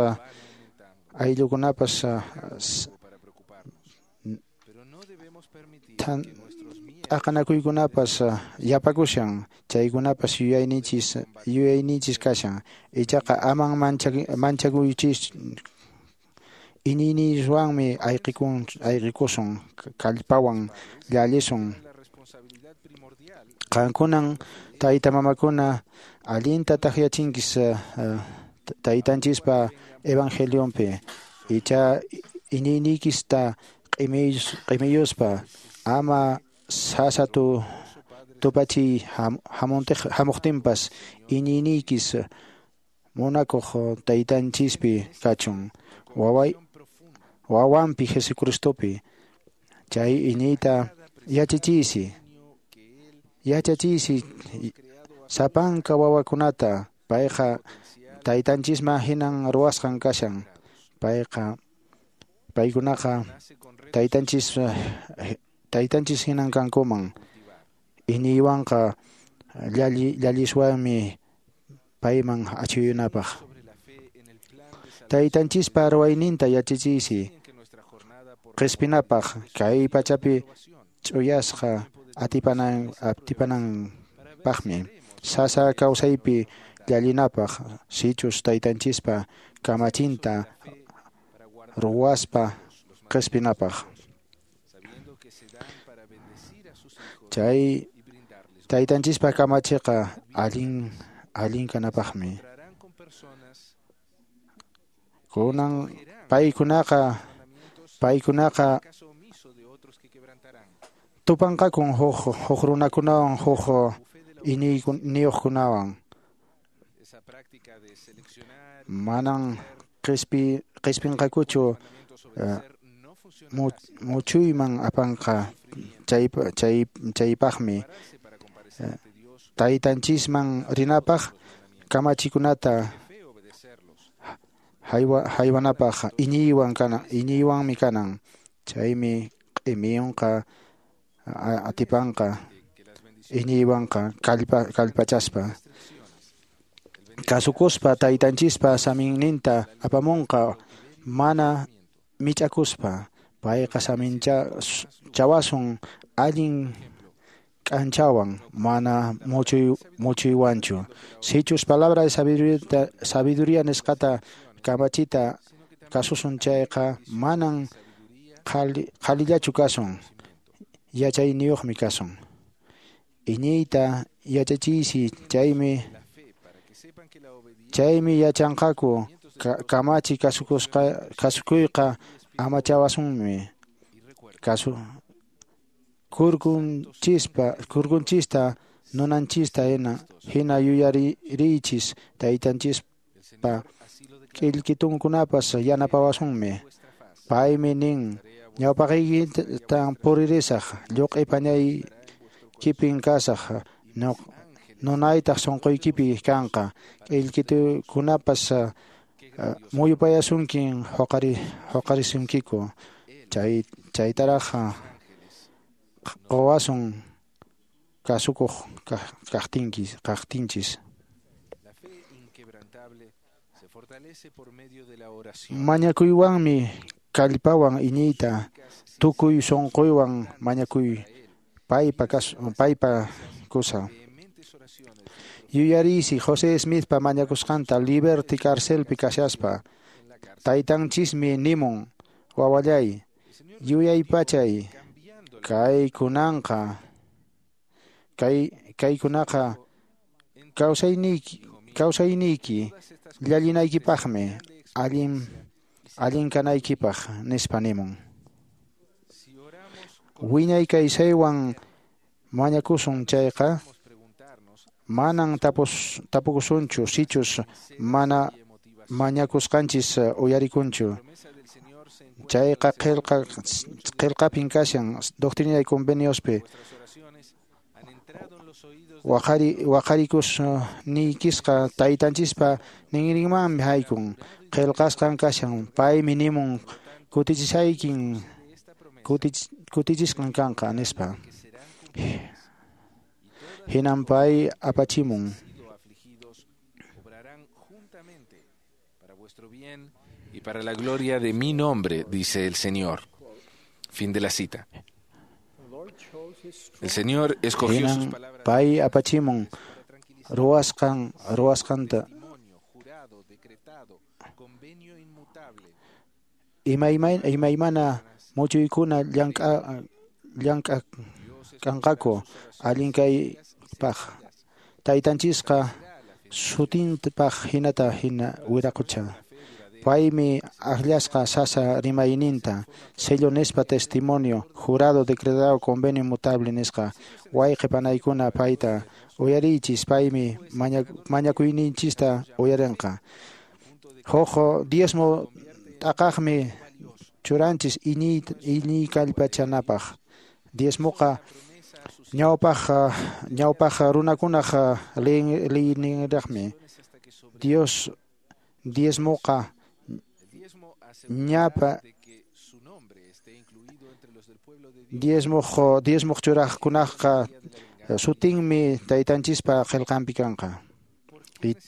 t'aqanakuykunapas yapakushan, chaykunapas yuyayninchis kashan. Ichaqa aman manchakuychis, iñiyninchikwanmi ayqikusun, kallpawan llallisun. Qankunan tayta mamakuna allinta taqyachinkis taytanchispa evangelionpi, icha iñiyniykista q'imiyuspa ama sasa tupachiy hamuqtinpas iñiyniykis munakuq taytanchispi kachun, wawanpi Jesucristopi. Chay iñiyta yachachiysi sapanka wawakunata. Payqa taytanchisman hinan ruwasqan kashan. Paykunaqa taytanchis hinan kankuman. Iñiywanqa llalliswanmi payman achuyunapaq. Taytanchispa ruwayninta yachachiysi qispinapaq, kay pachapi ch'uyasqa atipananpaqmi. Sasa kawsaypi llallinapaq, sichus taytanchispa kamachinta ruwaspa qispinapaq. Chay taytanchispa kamachiqa allin kanapaqmi. Kunan paykunaqa tupanqakun huk runakunawan, huk iñiyniyuqkunawan. Manan qispinqakuchu muchuyman apanqa. Chaypaqmi taytanchisman rinapaq kamachikunata haywanapaq iñiywanmi kanan. Chaymi q'imiyunqa atipanqa iñiywanqa kallpachaspa. Kasukuspa taytanchispa saminninta apamunqa mana mich'akuspa. Payqa saminchawasun allin k'anchawan, mana muchuywanchu. Sichus palabra de sabiduría nisqata kamachita kasusun chayqa, manan qhalillachu kasun, yachayniyuqmi kasun. Iñiyta yachachiysi, chaymi yachanqaku kamachi kasukuyqa amachawasunmi. Kurkunchista nunanchista hina yuyariychis, taytanchispa k'illkitunkunapas yanapawasunmi. Paymi nin: ñawpaqiykitan puririsaq, lluq'i pañaykipin kasaq, nunaytaq sunquykipi kanqa. K'illkitukunapas muyupayasunkin, huqarisunkiku. Chaytaraq quwasun kasukuq kaqtinchis. Mañakuywanmi kallpawan iñiyta, tukuy sunquywan mañakuy paypa kusa. Yuyariysi José Smithpa mañakusqanta Liberty carcelpi kashaspa. Taytanchismi nimun: wawallay, yuyaypachay, kaykunaqa kawsayniyki llallinaykipaqmi, allin kanaykipaq, nispa nimun. Wiñay kawsaywan mañakusun chayqa, manan tapukusunchu sichus mana mañakusqanchis uyarikunchu. Chayqa qillqapin kashan Doctrina y Conveniospi. Waqarikus niykisqa taytanchispa ninrinmanmi haykun qillqasqan kashan paymi nimun kutichisaykin kutichisqan kanqa nispa hinan pay apachimun. Y para la gloria de mi nombre, dice el Señor. Fin de la cita. El Señor escogió sus palabras. Pay apachimun ruwasqan ruwasqanta imaymana muchuykuna llank'a kanqaku allin kaypaq taytanchisqa sutinpaq hinata hina wiraqucha. Paymi akllasqa sasa rimayninta sello nispa testimonio jurado decretado convenio inmutable nisqa wayqi panaykuna payta uyariychis paymi mañakuyninchista uyarinqa. Huk diezmo t'aqaqmi churanchis iñiy kallpachanapaq. Diezmoqa ñawpaq runakunaq liyninraqmi. Dios diezmoqa ñapa diezmoq churaqkunaqqa sutinmi taytanchispa qillqanpi kanqa.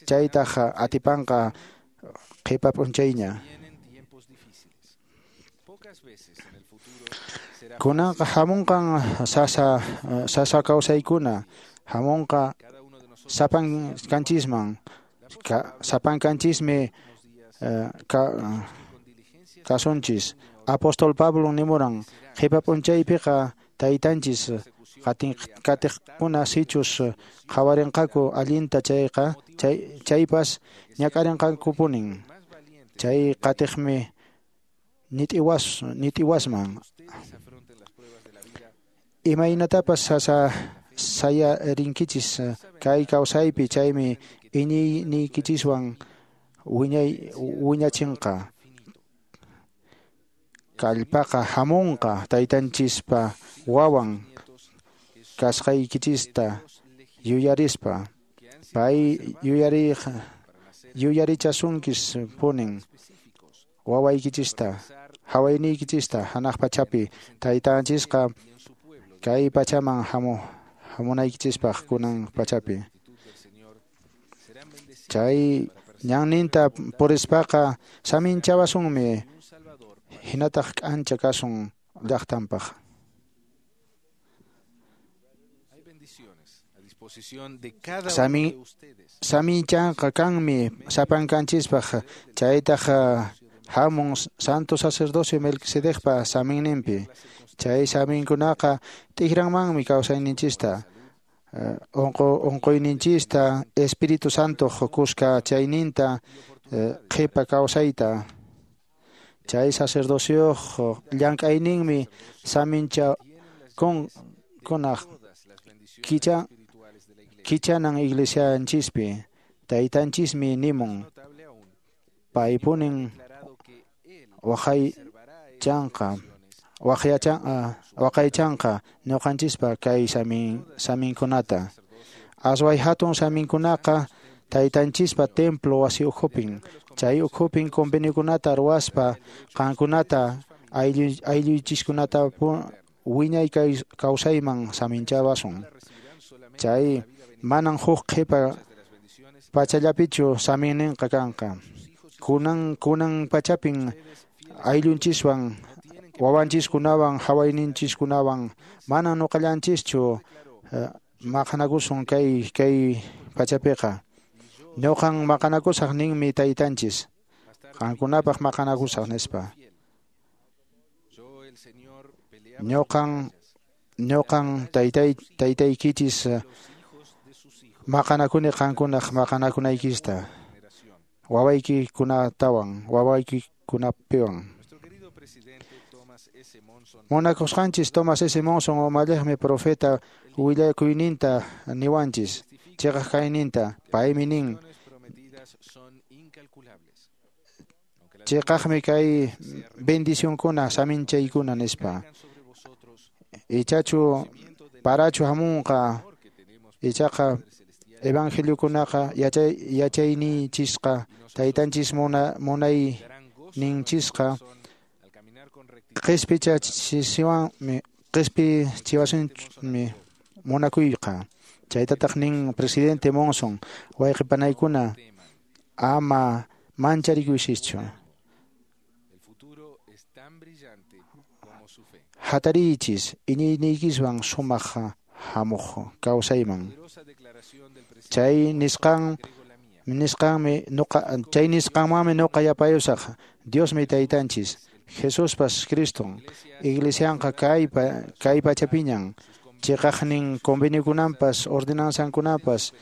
Chaytaq atipanqa qhipa p'unchayña. Kunanqa hamunqan sasa kawsaykuna hamunqa sapankanchisman sapankanchismi kasunchis. Apóstol Pablo nimuran qhipa p'unchaypiqa taytanchis qatiqkuna sichus qhawarinqaku allinta chayqa chaypas ñak'arinqakupunin. Chay qatiqmi nit'iwasman. Imaynatapas sasa sayarinkichis kay kawsaypi chaymi iñiyniykichiswan wiñachinqa. Kallpaqa hamunqa taytanchispa wawan kasqaykichista yuyarispa. Pay yuyarichasunkis punin wawaykichista hawayniykichista hanaq pachapi taytanchisqa kay pachaman hamunaykichispaq kunan pachapi. Chay ñanninta purispaqa saminchawasunmi hinataq k'ancha kasun llaqtanpaq. Saminchanqa kanmi sapankanchispaq chaytaq hamun santo sacerdocio Melquisedecpa saminninpi. Chay saminkunaqa t'ikranmanmi kawsayninchista unquyninchista Espíritu Santo kuska chayninta qhipa kawsayta. Chay sacerdocioq llank'ayninmi samincha kunaq kichanan iglesianchispi. Taytanchismi nimun paypunin waqaychanqa ñuqanchispa kay saminkunata. Asway hatun saminkunaqa taytanchispa templo wasi ukhupin. Chay ukhupin conveniokunata ruwaspa qankunata ayllunchiskunata wiñay kawsayman saminchawasun. Chay manan huk qhipa pachallapichu saminninqa kanqa. Kunan pachapin ayllunchiswan wawanchiskunawan hawayninchiskunawan manan nuqallanchischu maqanakusun kay pachapiqa. Ñuqan maqanakusaq ninmi taytanchis qankunapaq maqanakusaq nispa. Ñuqan taytaykichis maqanakuni qankunaq maqanakunaykista wawaykikunatawan wawaykikunapiwan. Munakusqanchis Thomas S. Monson umalliqmi profeta willakuyninta niwanchis chiqaq kayninta. Paymi nin chiqaqmi kay bendicionkuna saminchaykuna nispa. Ichachu parachu hamunqa Ichaqa evangeliokunaqa yachayninchisqa taytanchis munayninchisqa qhispichiwasunmi munakuyqa. Chaytataq nin presidente Monson, wayqipanaykuna ama mancharikuychischu. Hatariychis iñiyniykiswan sumaq hamuq kawsayman. Chay nisqanmanmi nuqa yapayusaq. Diosmi taytanchis, Jesuspas Criston, iglesianqa kay pachapiñan, chiqaqnin conveniokunanpas ordenanzankunapas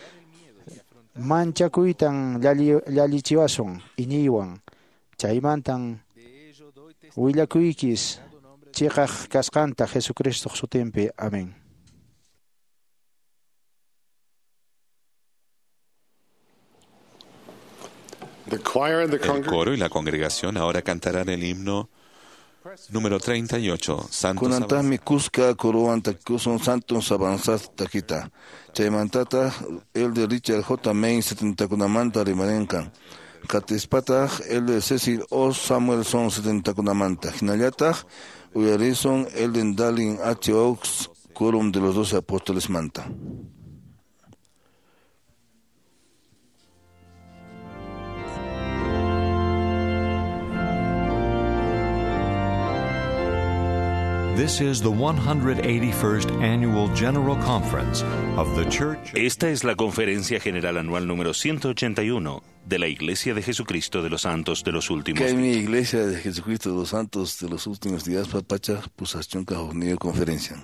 manchakuytan llallichiwasun iñiywan. Chaymantan willakuykis chiqaq kasqanta Jesucristoq sutinpi. Amén. El coro y la congregación ahora cantarán el himno número 38, Santos. Kunantaqmi kuska corowan takikusun Santos Avanzat takita. Chaymantataq el de Richard J. Main 70kunamanta rimarinqa. Qatispataq el de Cecil O. Samuelson 70kunamanta. Hinallataq uyarisun el de Dallin H. Oaks, Quórum de los 12 Apóstoles manta. This is the 181st Annual General Conference of the Church. Esta es la Conferencia General Anual número 181 de la Iglesia de Jesucristo de los Santos de los Últimos Días. Días. Iglesia de Jesucristo de los Santos de los Últimos Días, Papacha, Pusachunca, Jonido, Conferencia.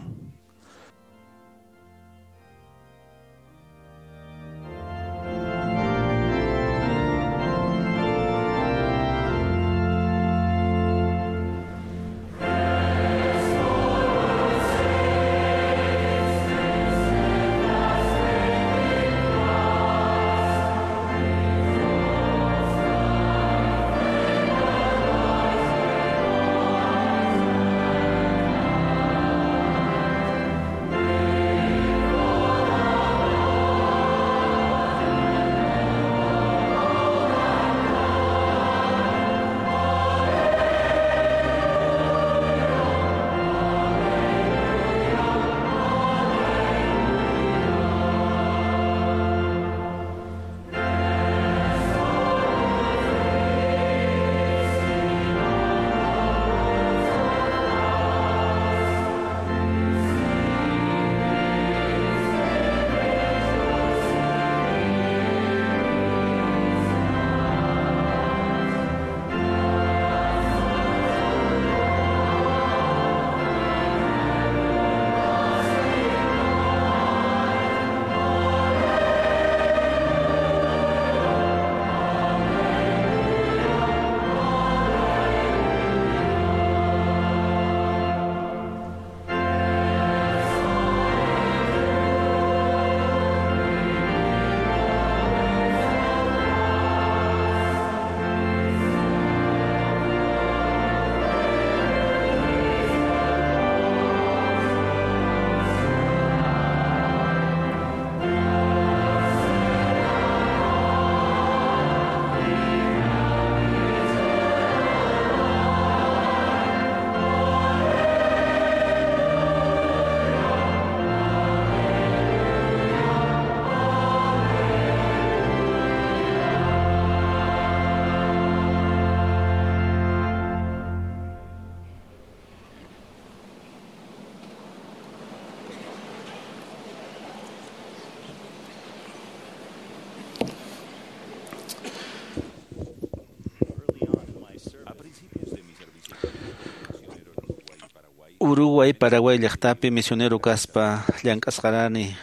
Uruguay, Paraguay llaqtapi misionero kaspa llank'asqarani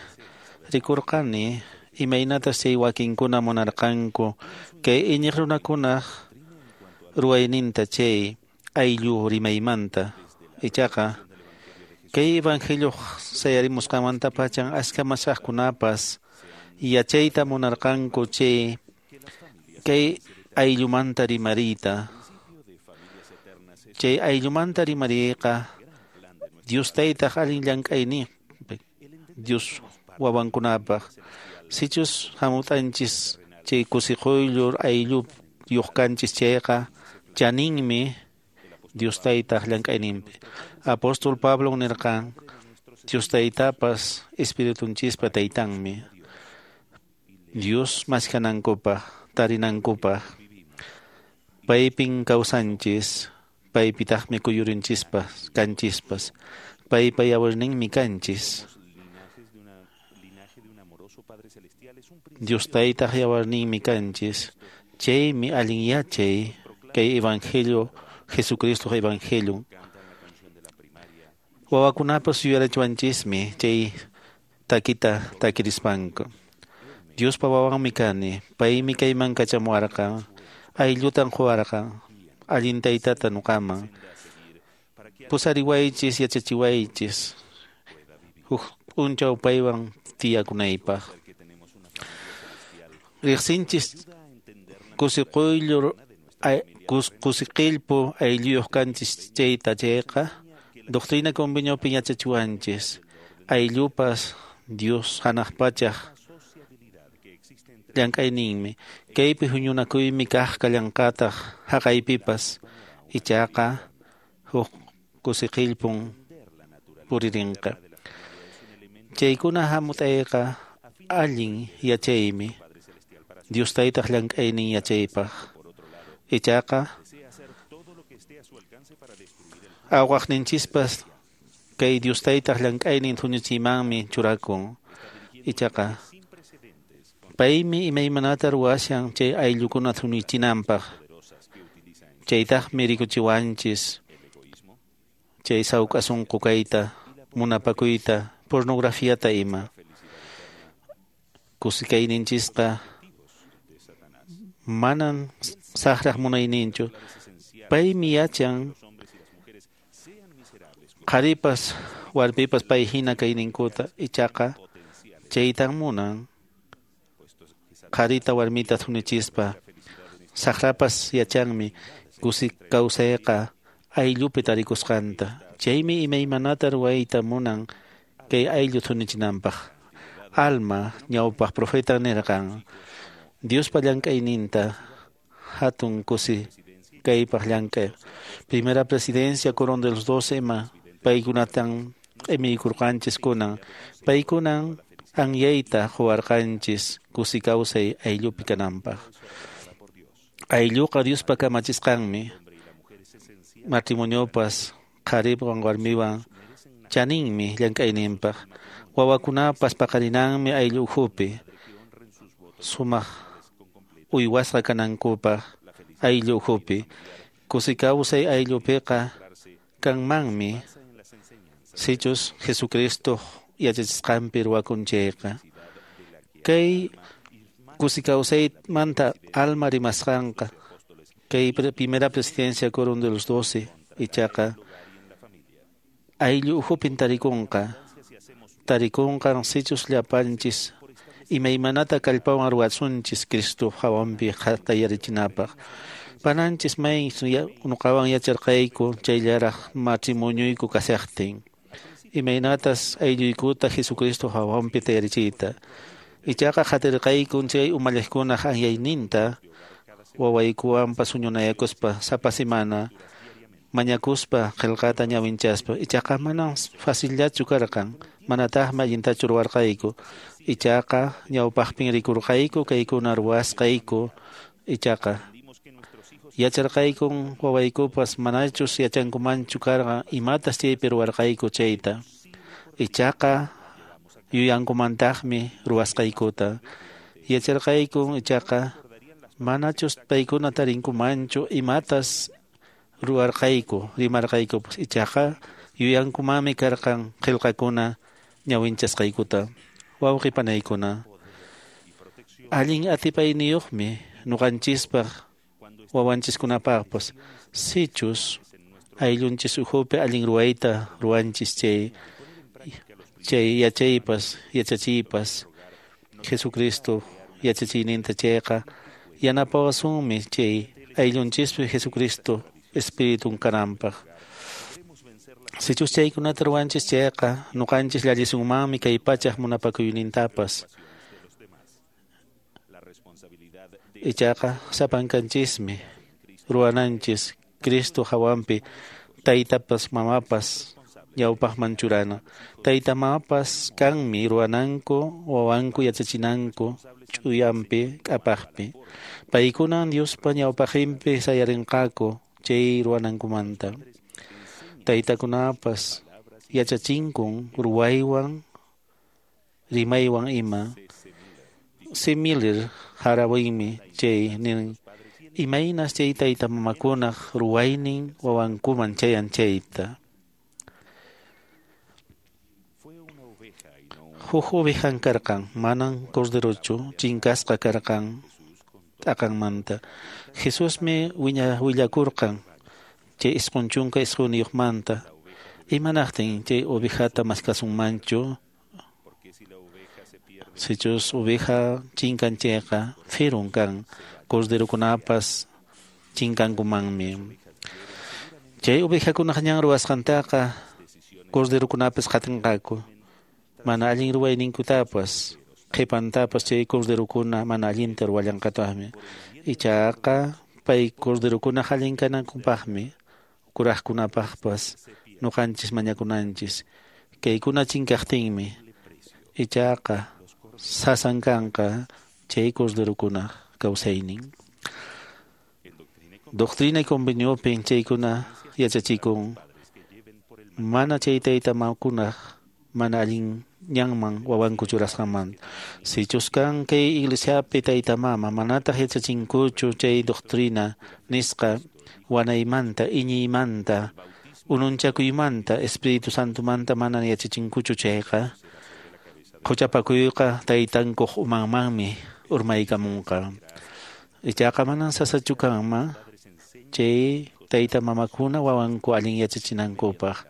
rikurqani imaynatas chay wakinkuna munarqanku kay iñiq runakunaq ruwayninta chay ayllu rimaymanta. Ichaqa kay evangelio sayarimusqanmantapachan achka masaqkunapas yachayta munarqanku chay kay ayllumanta rimariyta. Chay ayllumanta rimariyqa Dios taytaq allin llank'ayninpi Dios wawankunapaq. Sichus hamut'anchis chay kusiquyllur aylluyuq kanchis chayqa chaninmi Dios Taytaq llank'ayninpi. Apóstol Pablo nirqan Dios Taytapas Espiritunchispa Taytanmi. Dios maskanankupaq, tarinankupaq. Paypin kawsanchis, paypitaqmi kuyurinchispas, kanchispas. Paypa yawarninmi kanchis. Dios Taytaq yawarninmi kanchis. Chaymi allin yachay kay evangelio, Jesucristo evangelio. Wawakunapas yuyarichiwanchismi chay takita takirispanku. Diospa wawanmi kani, paymi kayman kachamuwarqan, ayllutan quwarqan, allin taytata nuqaman. Pusariwaychis, yachachiwaychis, huk p'unchaw paywan tiyakunaypaq. Riqsinchis kusiquyllur kusiqillpu aylluyuq kanchis chayta chayqa, doctrina conveniopi yachachiwanchis, ayllupas Dios hanaq pachaq llank'ayninmi. Kaypi huñunakuymi kaq kallanqataq haqaypipas, ichaqa huk kusiqillpun puririnqa. Chaykuna hamut'ayqa allin yachaymi, Dios Taytaq llank'aynin yachaypaq. Ichaqa awqaqninchispas kay Dios Taytaq llank'aynin thuñuchiymanmi churakun. Ichaqa paymi imaymanata ruwashan chay ayllukuna thuñichinanpaq. Chaytaqmi rikuchiwanchis chay sawk'a sunqu kayta, munapakuyta, pornografiata ima. Kusikayninchisqa manan saqraq munayninchu. Paymi yachan qharipas warmipas pay hina kayninkuta, ichaqa chaytan munan qharita warmita thunichispa. Saqrapas yachanmi kusi kawsayqa ayllupi tarikusqanta. Chaymi imaymanata ruwayta munan kay ayllu thunichinanpaq. Alma ñawpaq profeta nirqan Diospa llank'ayninta hatun kusi kaypaq llank'ay. Primera presidencia quórum de los doce ima paykunatan q'imiykurqanchis kunan. Paykunan anyayta quwarqanchis kusi kawsay ayllupi kananpaq. Aylluqa Diospa kamachisqanmi. Matrimoniopas qhariwan warmiwan chaninmi llank'ayninpaq. Wawakunapas paqarinanmi ayllu ukhupi. Sumaq uywasqa kanankupaq ayllu ukhupi. Kusi kawsay ayllupiqa kanmanmi sichus Jesucristo yachachisqanpi ruwakun chayqa. Kay kusi kawsaymanta alma rimasqanqa kay primera presidencia quórum de los doce ichaqa ayllu ukhupin tarikunqa. Tarikunqan sichus llapanchis imaymanata kallpawan ruwasunchis Cristo hawanpi tayarichinapaq. Pananchis may nuqawan yacharqayku chayllaraq matrimonioyku kashaqtin. Imaynatas aylluykuta Jesucristo hawanpi tayarichiyta. Ichaqa qatirqaykun chay umalliqkunaq anyayninta wawaykuwanpas huñunayakuspa sapa semana mañakuspa qillqata ñawinchaspa. Ichaqa manan facillachu karqan, manataqmi allintachu ruwarqayku. Ichaqa ñawpaqpin rikurqayku kaykuna ruwasqayku. Ichaqa yacharqaykun wawaykupas manachus yachankumanchu karqan imatas chaypi ruwarqayku chayta. Ichaqa yuyankumantaqmi ruwasqaykuta. Yacharqaykun ichaqa manachus paykuna tarinkumanchu imatas ruwarqayku, rimarqaykupas. Ichaqa yuyankumanmi karqan qillqakuna ñawinchasqaykuta. Wawqi panaykuna, allin atipayniyuqmi nuqanchispaq wawanchiskunapaqpas. Sichus ayllunchis ukhupi allin ruwayta ruwanchis chay yachaypas, yachachiypas Jesucristo yachachiyninta chayqa yanapawasunmi chay ayllunchispi Jesucristo Espiritun kananpaq. Sichus chaykunata ruwanchis chayqa nuqanchis llallisunmanmi kay pachaq munapakuynintapas. Ichaqa sapankanchismi ruwananchis Cristo hawanpi taytapas mamapas ñawpaqman churana. Tayta mamapas kanmi ruwananku wawanku yachachinanku ch'uyanpi k'apaqpi. Paykunan Diospa ñawpaqinpi sayarinqaku chay ruwanankumanta. Taytakunapas yachachinkun ruwaywan rimaywan ima. C. Miller harawinmi chay nin imaynas chay tayta mamakunaq ruwaynin wawankuman chayan chayta. Huk ovejan karqan, manan corderochu, chinkasqa karqan t'aqanmanta. Jesusmi willakurqan chay 99manta. Imanaqtin chay ovejata maskasunmanchu? Sichus oveja chinkan chayqa firun kan, corderokunapas chinkankumanmi. Chay ovejakunaq ñan ruwasqantaqa corderokunapas qatinqaku. Mana allin ruwayninkutapas qhipantapas chay corderokuna mana allinta ruwallanqataqmi. Ichaqa pay corderokunaq allin kanankupaqmi kuraqkunapaqpas nuqanchis mañakunanchis. Kaykuna chinkaqtinmi ichaqa sasan kanqa chay corderokunaq kawsaynin. Doctrina y conveniopin chaykuna yachachikun mana chay tayta mamakunaq mana allin ñanman wawanku churasqanmanta. Sichus kan kay iglesiapi tayta mama manataq yachachinkuchu chay doctrina nisqa wanaymanta, iñiymanta, ununchakuymanta, Espíritu Santomanta mana yachachinkuchu chayqa quchapakuyqa taytankuq umanmanmi urmaykamunqa. Ichaqa manan sasachu kanman chay tayta mamakuna wawanku allin yachachinankupaq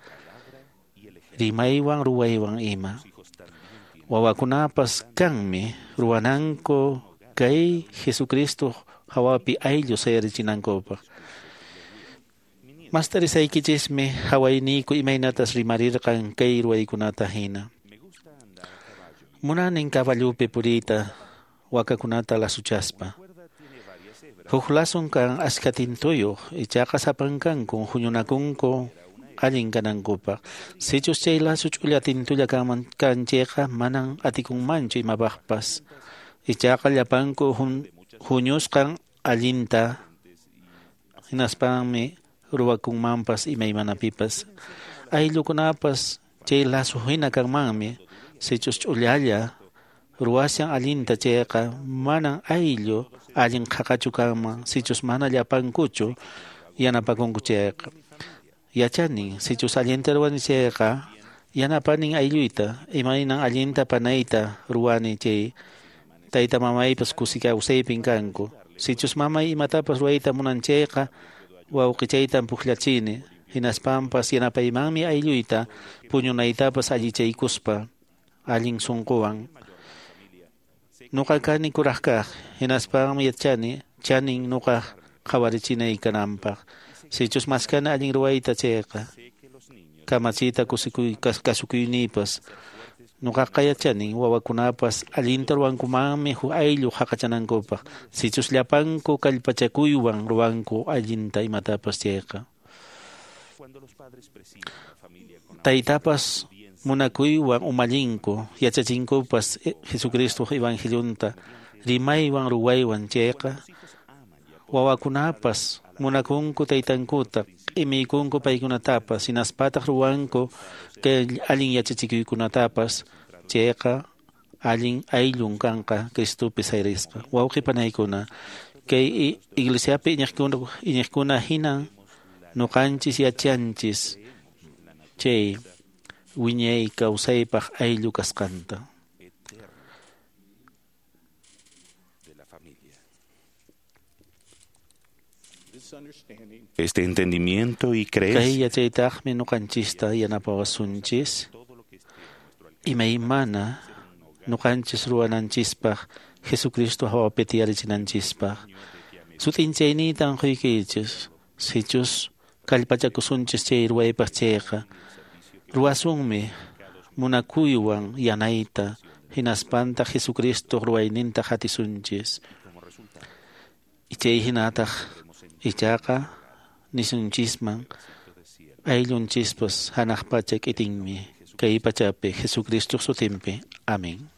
rimaywan ruwaywan ima. Wawakunapas kanmi ruwananku kay Jesucristo hawapi ayllu sayarichinankupaq. Mastarisaykichismi hawayniyku imaynatas rimarirqan kay ruwaykunata hina. Munanin caballupi puriyta wakakunata lasuchaspa. Huk lasun kan achka tintuyuq ichaqa sapankankun huñunakunku allin kanankupaq. Sichus chay lasu ch'ulla tintulla kanman kan chayqa manan atikunmanchu imapaqpas. Ichaqa llapanku huñusqan allinta hinaspanmi ruwakunmanpas imaymanapipas. Ayllukunapas chay lasu hina kanmanmi. Sichus ch'ullalla ruwashan allinta chayqa manan ayllu allin qhaqachu kanman sichus mana llapankuchu yanapakunku chayqa. Yachanin sichus allinta ruwani chayqa yanapanin aylluyta imaynan allinta panayta ruwani chay tayta mamaypas kusi kawsaypin kanku. Sichus mamay imatapas ruwayta munan chayqa wawqichaytan pukllachini hinaspanpas yanapaymanmi aylluyta puñunaytapas allichaykuspa allin sunquwan. Nuqa kani kuraq kaq hinaspanmi yachani chanin nuqaq qhawarichinay kananpaq. Sichus maskana allin ruwayta chayqa kamachiyta kasukuynipas nuqaqa yachanin wawakunapas allinta ruwankumanmi huk ayllu haqachanankupaq. Sichus llapanku kallpachakuywan ruwanku allinta imatapas chayqa. Taytapas munakuywan umallinku yachachinkupas Jesucristo evangelionta rimaywan ruwaywan chayqa wawakunapas munakunku taytankuta q'imiykunku paykunatapas hinaspataq ruwanku kay allin yachachikuykunatapas chayqa allin ayllun kanqa Cristopi sayrisqa. Wawqi panaykuna kay iglesiapi iñiqkuna hinan nuqanchis yachanchis chay wiñay kawsaypaq ayllu kasqanta. Este entendimiento y Kay creencia yachaytaqmi nuqanchista yanapawasunchis imaymana nuqanchis ruwananchispaq Jesucristo hawapi tiyarichinanchispaq. Sut'inchayniytan quykichis sichus kallpachakusunchis chay ruwaypaq chayqa Ruwasunmi munakuywan yanayta hinaspanta Jesucristo ruwayninta hatisunchis. Chay hinataq ichaqa nisunchisman ayllunchispas hanaq pacha k'itinmi kay pachapi Jesucristo sutinpi. Amén.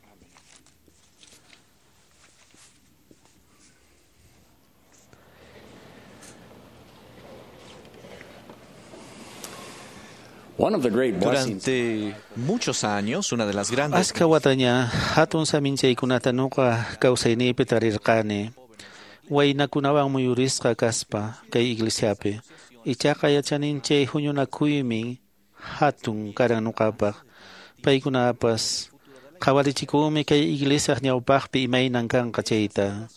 Durante muchos años, una de las grandes Aska wataña hatun saminchaykunata nuqa kawsayniypi tarirqani. Waynakunawan muyurisqa kaspa kay iglesiapi. Ichaqa yachanin chay huñunakuymi hatun karan nuqapaq. Paykunapas qhawarichikunmi kay iglesiaq ñawpaqpi imaynan kanqa chayta.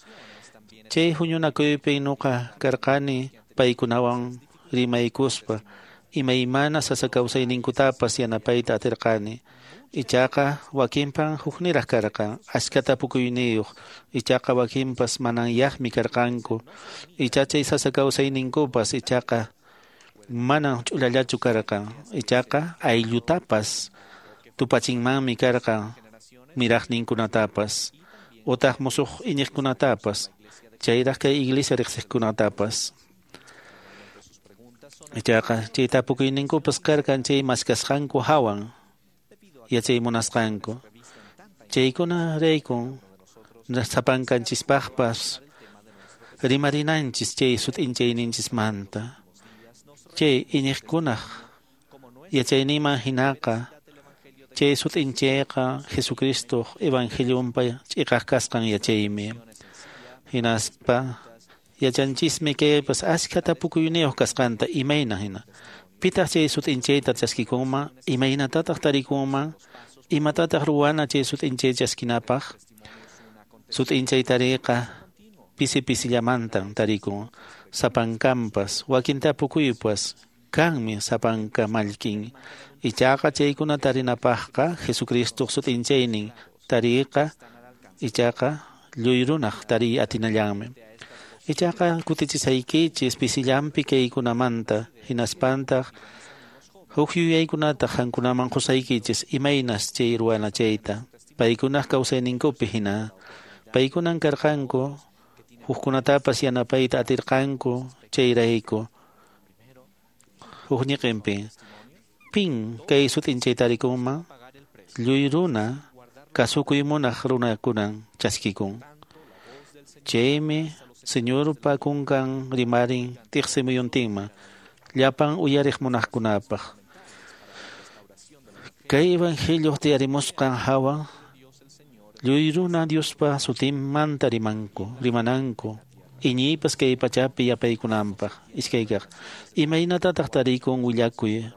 Chay huñunakuypi nuqa karqani paykunawan rimaykuspa imaymana sasa kawsayninkutapas yanapayta atirqani. Ichaqa wakinpan hukniraq karqan, achka tapukuyniyuq. Ichaqa wakinpas mananyaqmi karqanku. Icha chay sasa kawsayninkupas ichaqa manan ch'ullallachu karqan. Ichaqa ayllutapas tupachinmanmi karqan miraqninkunatapas utaq musuq iñiqkunatapas chayraq kay iglesia riqsiqkunatapas. Ichaqa chay tapukuyninkupas karqan chay maskasqanku hawan yachay munasqanku. Chaykuna raykun sapankanchispaqpas rimarinanchis chay sut'inchayninchismanta. Chay iñiqkunaq yachayninman hinaqa chay sut'inchayqa Jesucristoq evangelionpa ch'iqaq kasqan yachaymi. Hinaspa yachanchismi kaypas achka tapukuyniyuq kasqanta imayna hina. Pitaq chay sut'inchayta chaskikunman, imaynatataq tarikunman, imatataq ruwana chay sut'inchay chaskinapaq. Sut'inchay tariqa pisi pisillamantan tarikun, sapankampas, wakin tapukuypas kanmi sapanka mallkin. Ichaqa chaykuna tarinapaqqa Jesucristoq sut'inchaynin tariqa ichaqa lluy runaq tariy atinallanmi. Ichaqa kutichisaykichis pisillanpi kaykunamanta hinaspantaq huk yuyaykunata qankunaman qusaykichis imaynas chay ruwana chayta. Paykunaq kawsayninkupi hina. Paykunan karqanku hukkunatapas yanapayta atirqanku chayrayku. Huk ñiqinpi pin kay sut'inchay tarikunman lluy runa kasukuy munaq runakunan chaskikun. Chaymi Señorpa kunkan rimarin tiqsimuyuntinman llapan uyariq munaqkunapaq. Kay evangelio tiyarimusqan hawa lluy runa Diospa sutinmanta rimanku, rimananku, iñiypas kay pachapi yapaykunanpaq. Iskaykaq, imaynatataq tarikun willakuy,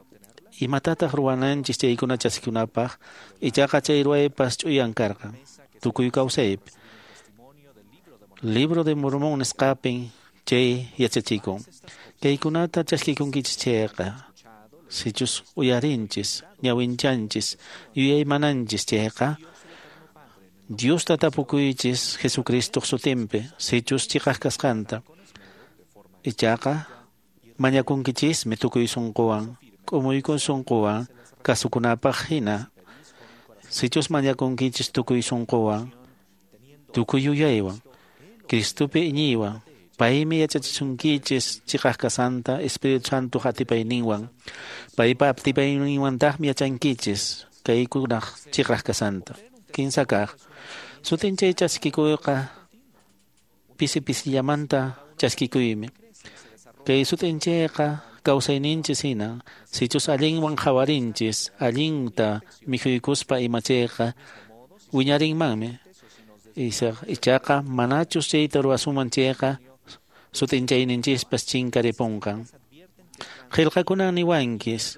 imatataq ruwananchis chaykuna chaskikunapaq, ichaqa chay ruwaypas ch'uyan karqan, tukuy kawsaypi. Libro de Mormón nisqapin chay yachachikun. Kaykunata chaskikunkichis chayqa, sichus uyarinchis, ñawinchanchis, yuyaymananchis chayqa, Diosta tapukuychis Jesucristoq sutinpi, sichus chiqaq kasqanta. Ichaqa mañakunkichismi tukuy sunquwan, k'umuykun sunquwan kasukunapaq hina. Sichus mañakunkichis tukuy sunquwan, tukuy yuyaywan, Cristopi iñiywan, paymi yachachisunkichis chiqaq kasanta Espíritu Santo atipayninwan. Paypa atipayninwantaqmi yachankichis kaykunaq chiqaq kasanta. Kinsa kaq, sut'inchay chaskikuyqa pisi pisillamanta chaskikuymi. Kay sut'inchayqa kawsayninchis hina, sichus allinwan qhawarinchis, allinta mikhuykuspa imachayqa wiñarinmanmi. Ichaqa manachus chayta ruwasunman chayqa sut'inchayninchispas chinkaripunqan. Qillqakunan niwanchis.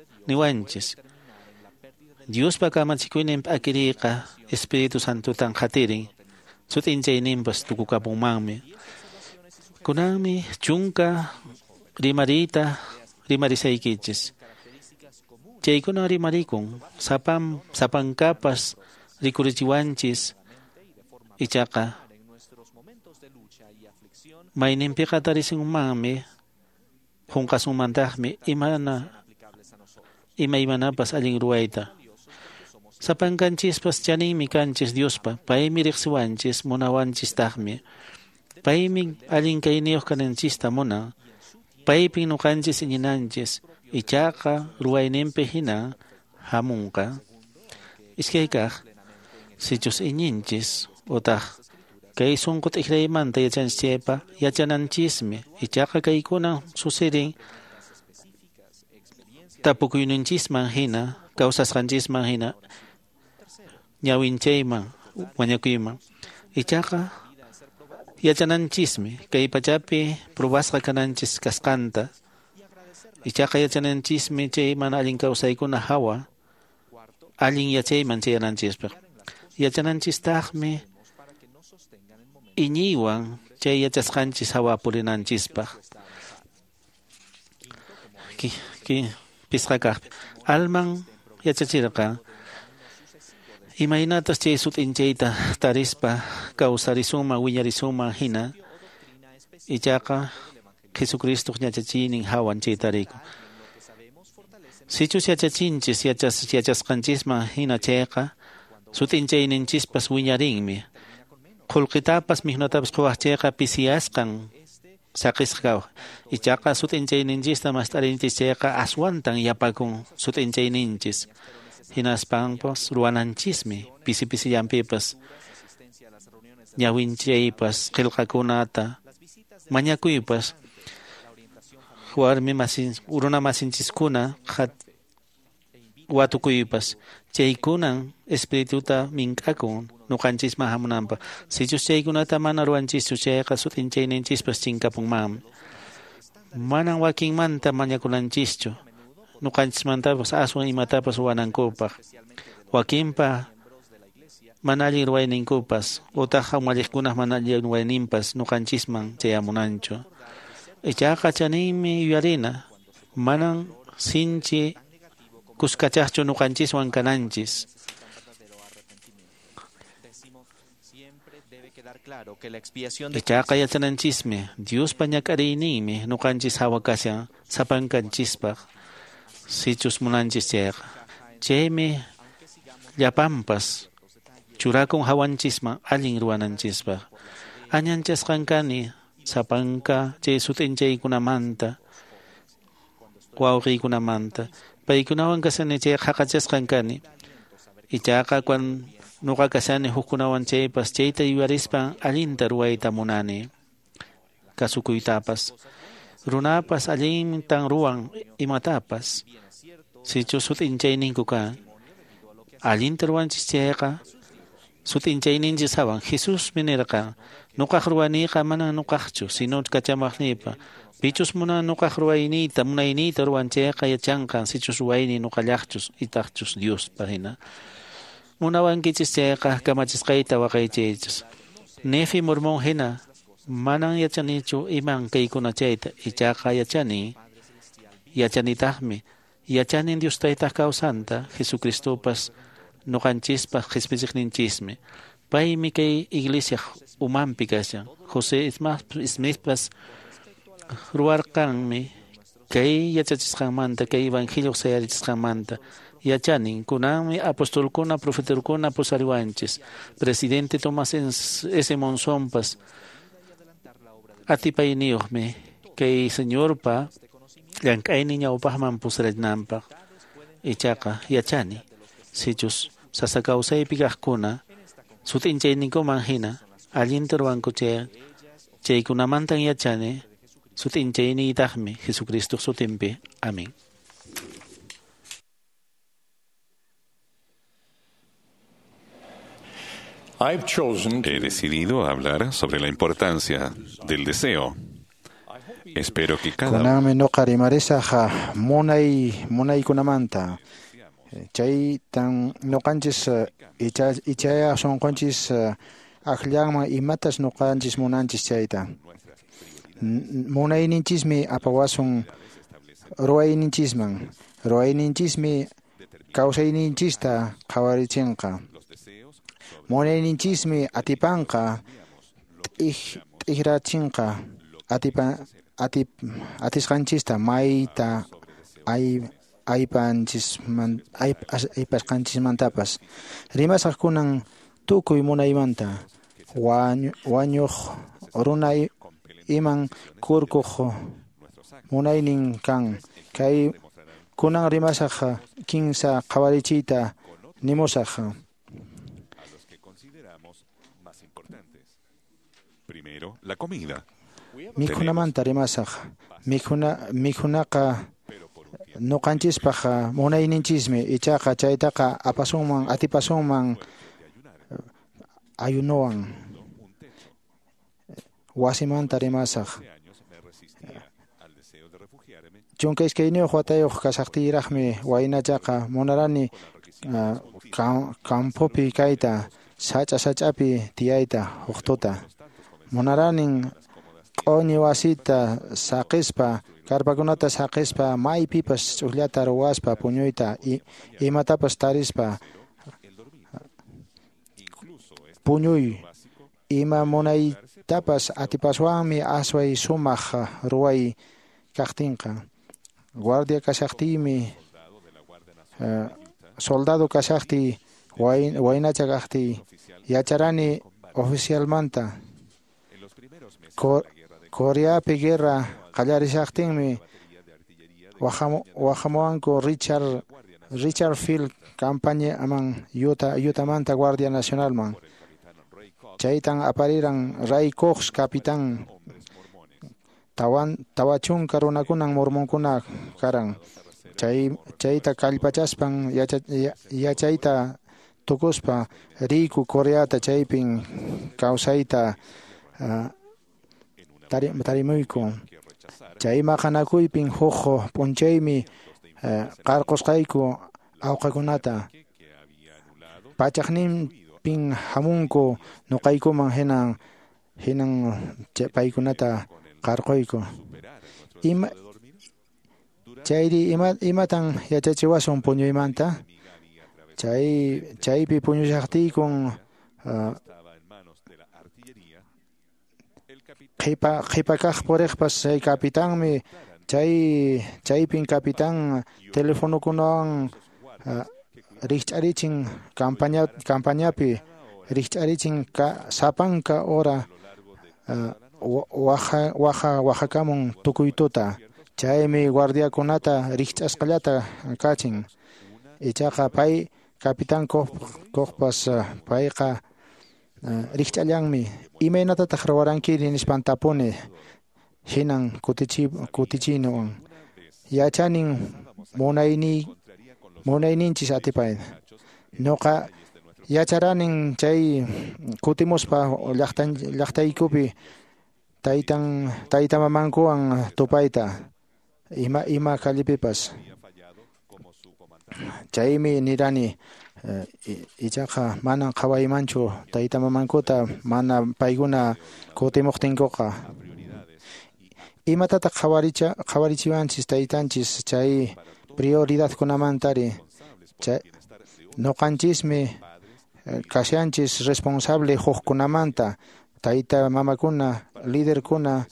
Diospa kamachikuynin p'akiriyqa Espíritu Santotan qhatirin, sut'inchayninpas tukukapunmanmi. Kunanmi chunka rimariyta rimarisaykichis. Chaykuna rimarikun, sapankapas rikurichiwanchis. Ichaqa mayninpiqa tarisunmanmi, qunqasunmantaqmi imaymanapas allin ruwayta. Sapankanchispas chaninmi kanchis Diospa, paymi riqsiwanchis, munawanchistaqmi. Paymi allin kayniyuq kananchista munan. Paypin nuqanchis iñinanchis, ichaqa ruwayninpi hina hamunqa. Iskaykaq, sichus iñinchis utaq kay sunqu t'ikraymanta yachanchis chaypa yachananchismi, ichaqa kaykunan susirin tapukuyninchisman hina, kawsasqanchisman hina, ñawinchayman, mañakuyman. Ichaqa yachananchismi kay pachapi probasqa kananchis kasqanta. Ichaqa yachananchismi chay mana allin kawsaykuna hawa allin yachayman chayananchispaq. Yachananchistaqmi iñiywan chay yachasqanchis hawa purinanchispaq. Pisqa kaqpi alman yachachirqa imaynatas chay sut'inchayta tarispa kawsarisunman wiñarisunman hina, ichaqa Jesucristoq yachachiynin hawan chay tarikun. Sichus yachachinchis yachasqanchisman hina chayqa sut'inchayninchispas wiñarinmi. Qullqitapas mikhunatapas quwaq chayqa pisiyasqan saqisqa kawaq. Ichaqa sut'inchayninchista mast'arinchis chayqa aswantan yapakun sut'inchayninchis. Hinaspanpas ruwananchismi pisi pisillanpipas ñawinchaypas qillqakunata mañakuypas warmi masin runa masinchiskuna watukuypas chaykunan espirituta mink'akun nuqanchisman hamunanpaq. Sichus chaykunata mana ruwanchischu chayqa sut'inchayninchispas chinkapunmanmi. Manan wakinmanta mañakunanchischu nuqanchismantapas aswan imatapas ruwanankupaq. Wakinpa mana allin ruwayninkupas utaq umalliqkunaq mana allin ruwayninpas nuqanchisman chayamunanchu. Ichaqa chaninmi yuyarina, manan sinchi kuskachaqchu nuqanchiswan kananchis. Ichaqa yachananchismi Diospa ñak'ariyninmi nuqanchis hawa kashan sapankanchispaq sichus munanchis chayqa. Chaymi llapanpas churakun hawanchisman allin ruwananchispaq. Añanchasqan kani sapanka chay sut'inchaykunamanta wawqiykunamanta. Paykunawan kashani chayqa haqachasqan kani. Ichaqa cuando nuqa kashani hukkunawan chaypas chayta yuyarispan allinta ruwayta munani kasukuytapas. Runapas allintan ruwan imatapas sichus sut'inchayninku kan. Allinta ruwanchis chayqa sut'inchayninchis hawan. Jesusmi nirqan, nuqaq ruwaniyqa manan nuqaqchu, sino kachamaqniypa. Pichus munan nuqaq ruwayniyta, munayniyta ruwan chayqa yachanqan sichus ruwayniy nuqallaqchus itaqchus Diospa hina. Munawankichis chayqa kamachisqayta waqaychaychis. Nefi Mormón hina manan yachanichu iman kaykuna chayta, ichaqa yachani, yachanitaqmi. Yachanin Dios taytaq kawsanta, Jesucristopas nuqanchispaq qhispichiqninchismi. Paymi kay iglesia umanpi kashan. José Smithpas ruwarqanmi kay yachachisqanmanta, kay evangelio sayarichisqanmanta. Yachanin, kunanmi apostolkuna, profetakuna pusariwanchis. Presidente Thomas S. Monsonpas atipayniyuqmi kay Señorpa llank'aynin ñawpaqman pusarinanpaq. Ichaqa yachani, sichus sasa kawsaypi kaqkuna sut'inchayninkuman hina allinta ruwanku chay chaykunamantan yachani sut'inchayniytaqmi Jesucristoq sutinpi. Amén. He decidido hablar sobre la importancia del deseo. Espero que cada Kunanmi nuqa rimarisaq munaykunamanta. Chaytan nuqanchis ichaya sunqunchis akllanman imatas nuqanchis munanchis chayta. Munayninchismi apawasun ruwayninchisman. Ruwayninchismi kawsayninchista qhawarichinqa. Munayninchismi atipanqa t'ikrachinqa atisqanchista mayta aypasqanchismantapas. Rimasaq kunan tukuy munaymanta, wañuq runa iman kurkuq munaynin kan. Kay kunan rimasaq kinsa qhawarichiyta nimusaq. Primero, la comida. Mikhunamanta rimasaq. Mikhunaqa nuqanchispaq munayninchismi, ichaqa chaytaqa apasunman atipasunman ayunowan. Wasimanta rimasaq. 12 watayuq kashaqtiyraqmi waynachaqa munarani campopi kayta, sach'a sach'api tiyayta huk tuta. Munaranin q'uñi wasita saqispa, karpakunata saqispa, maypipas ch'ukllata ruwaspa puñuyta, imatapas tarispa puñuy. Ima munaytapas atipaswanmi asway sumaq ruway kaqtinqa. Guardia kashaqtiymi, soldado kashaqtiy, waynacha kaqtiy, yacharani oficialmanta. Coreapi guerra qallarishaqtinmi wahamuwanku Richard Field campañaman Utahmanta Guardia Nacionalman. Chaytan apariran Ray Cox capitán. 40 runakunan mormonkuna karan. Chayta kallpachaspan yachayta tukuspa riyku Coreata, chaypin kawsayta tarimuyku. Chay maqanakuypin huk p'unchaymi qarqusqayku awqakunata. Pachaqninpin hamunku nuqaykuman, hinan paykunata qarquyku. Chayri imatan yachachiwasun puñuymanta? Chaypi puñushaqtiykun qhipa kaq puriqpas chay kapitanmi, chaypin capitán telefonokunawan rikch'arichin campañapi rikch'arichin sapanka hora waqakamun tukuy tuta. Chaymi guardiakunata rikch'asqallata kachin. Ichaqa pay capitán Kochpas payqa rikch'allanmi. Imaynatataq ruwarankiri nispan tapuni, hinan kutichinuwan. Yachanin munayninchis atipay. Nuqa yacharanin chay kutimuspa llaqtaykupi tayta mamankuwan tupayta ima callepipas. Chaymi nirani, ichaqa manan qhawaymanchu tayta mamankuta mana paykuna kutimuqtinkuqa. Imatataq qhawarichiwanchis taytanchis chay prioridadkunamantari? Nuqanchismi kashanchis responsable hukkunamanta, tayta mamakuna, liderkuna,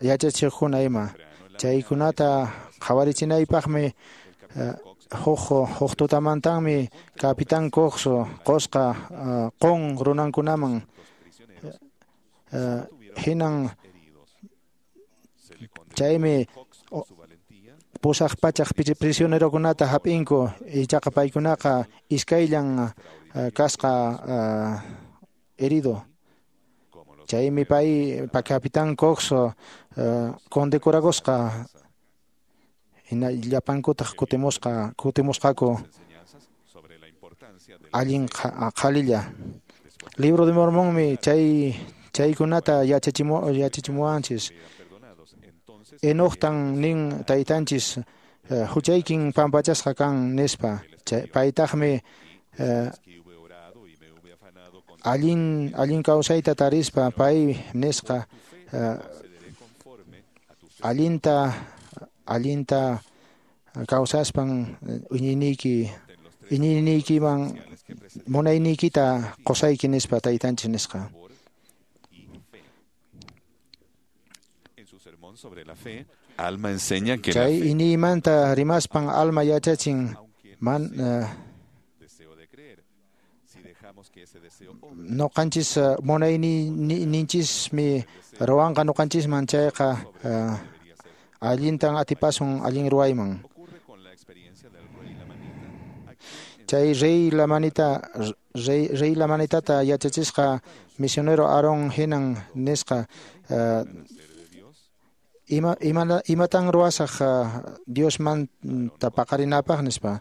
yachachiqkuna ima. Chaykunata qhawarichinaypaqmi huk tutamantanmi capitán Cox qosqa qun runankunaman. Hinan chaymi 800 prisionerokunata hap'inku, ichaqa paykunaqa iskayllan kasqa herido. Chaymi pay capitán Cox condecorakusqa, hina llapankutaq kutimusqaku allin qhalilla. Libro de Mormonmi chaykunata yachachimuwanchis. Enochtan nin taytanchis huchaykin pampachasqa kan nispa. Paytaqmi allin kawsayta tarispa pay nisqa allinta kawsaspan iñiniykiman munayniykita qusayki nispa taytanchis nisqa. En su sermón sobre la fe, Alma enseña que la Chay fe iniymanta rimaspan alma yachachin man noqanchis munayninchismi ruwanqa noqanchisman chayqa allintan atipasun allin ruwayman. Chay rey Lamanita rey Lamanitata yachachisqa misionero Aaron hinan nisqa imatan ruwasaq Diosmanta paqarinapaq nispa.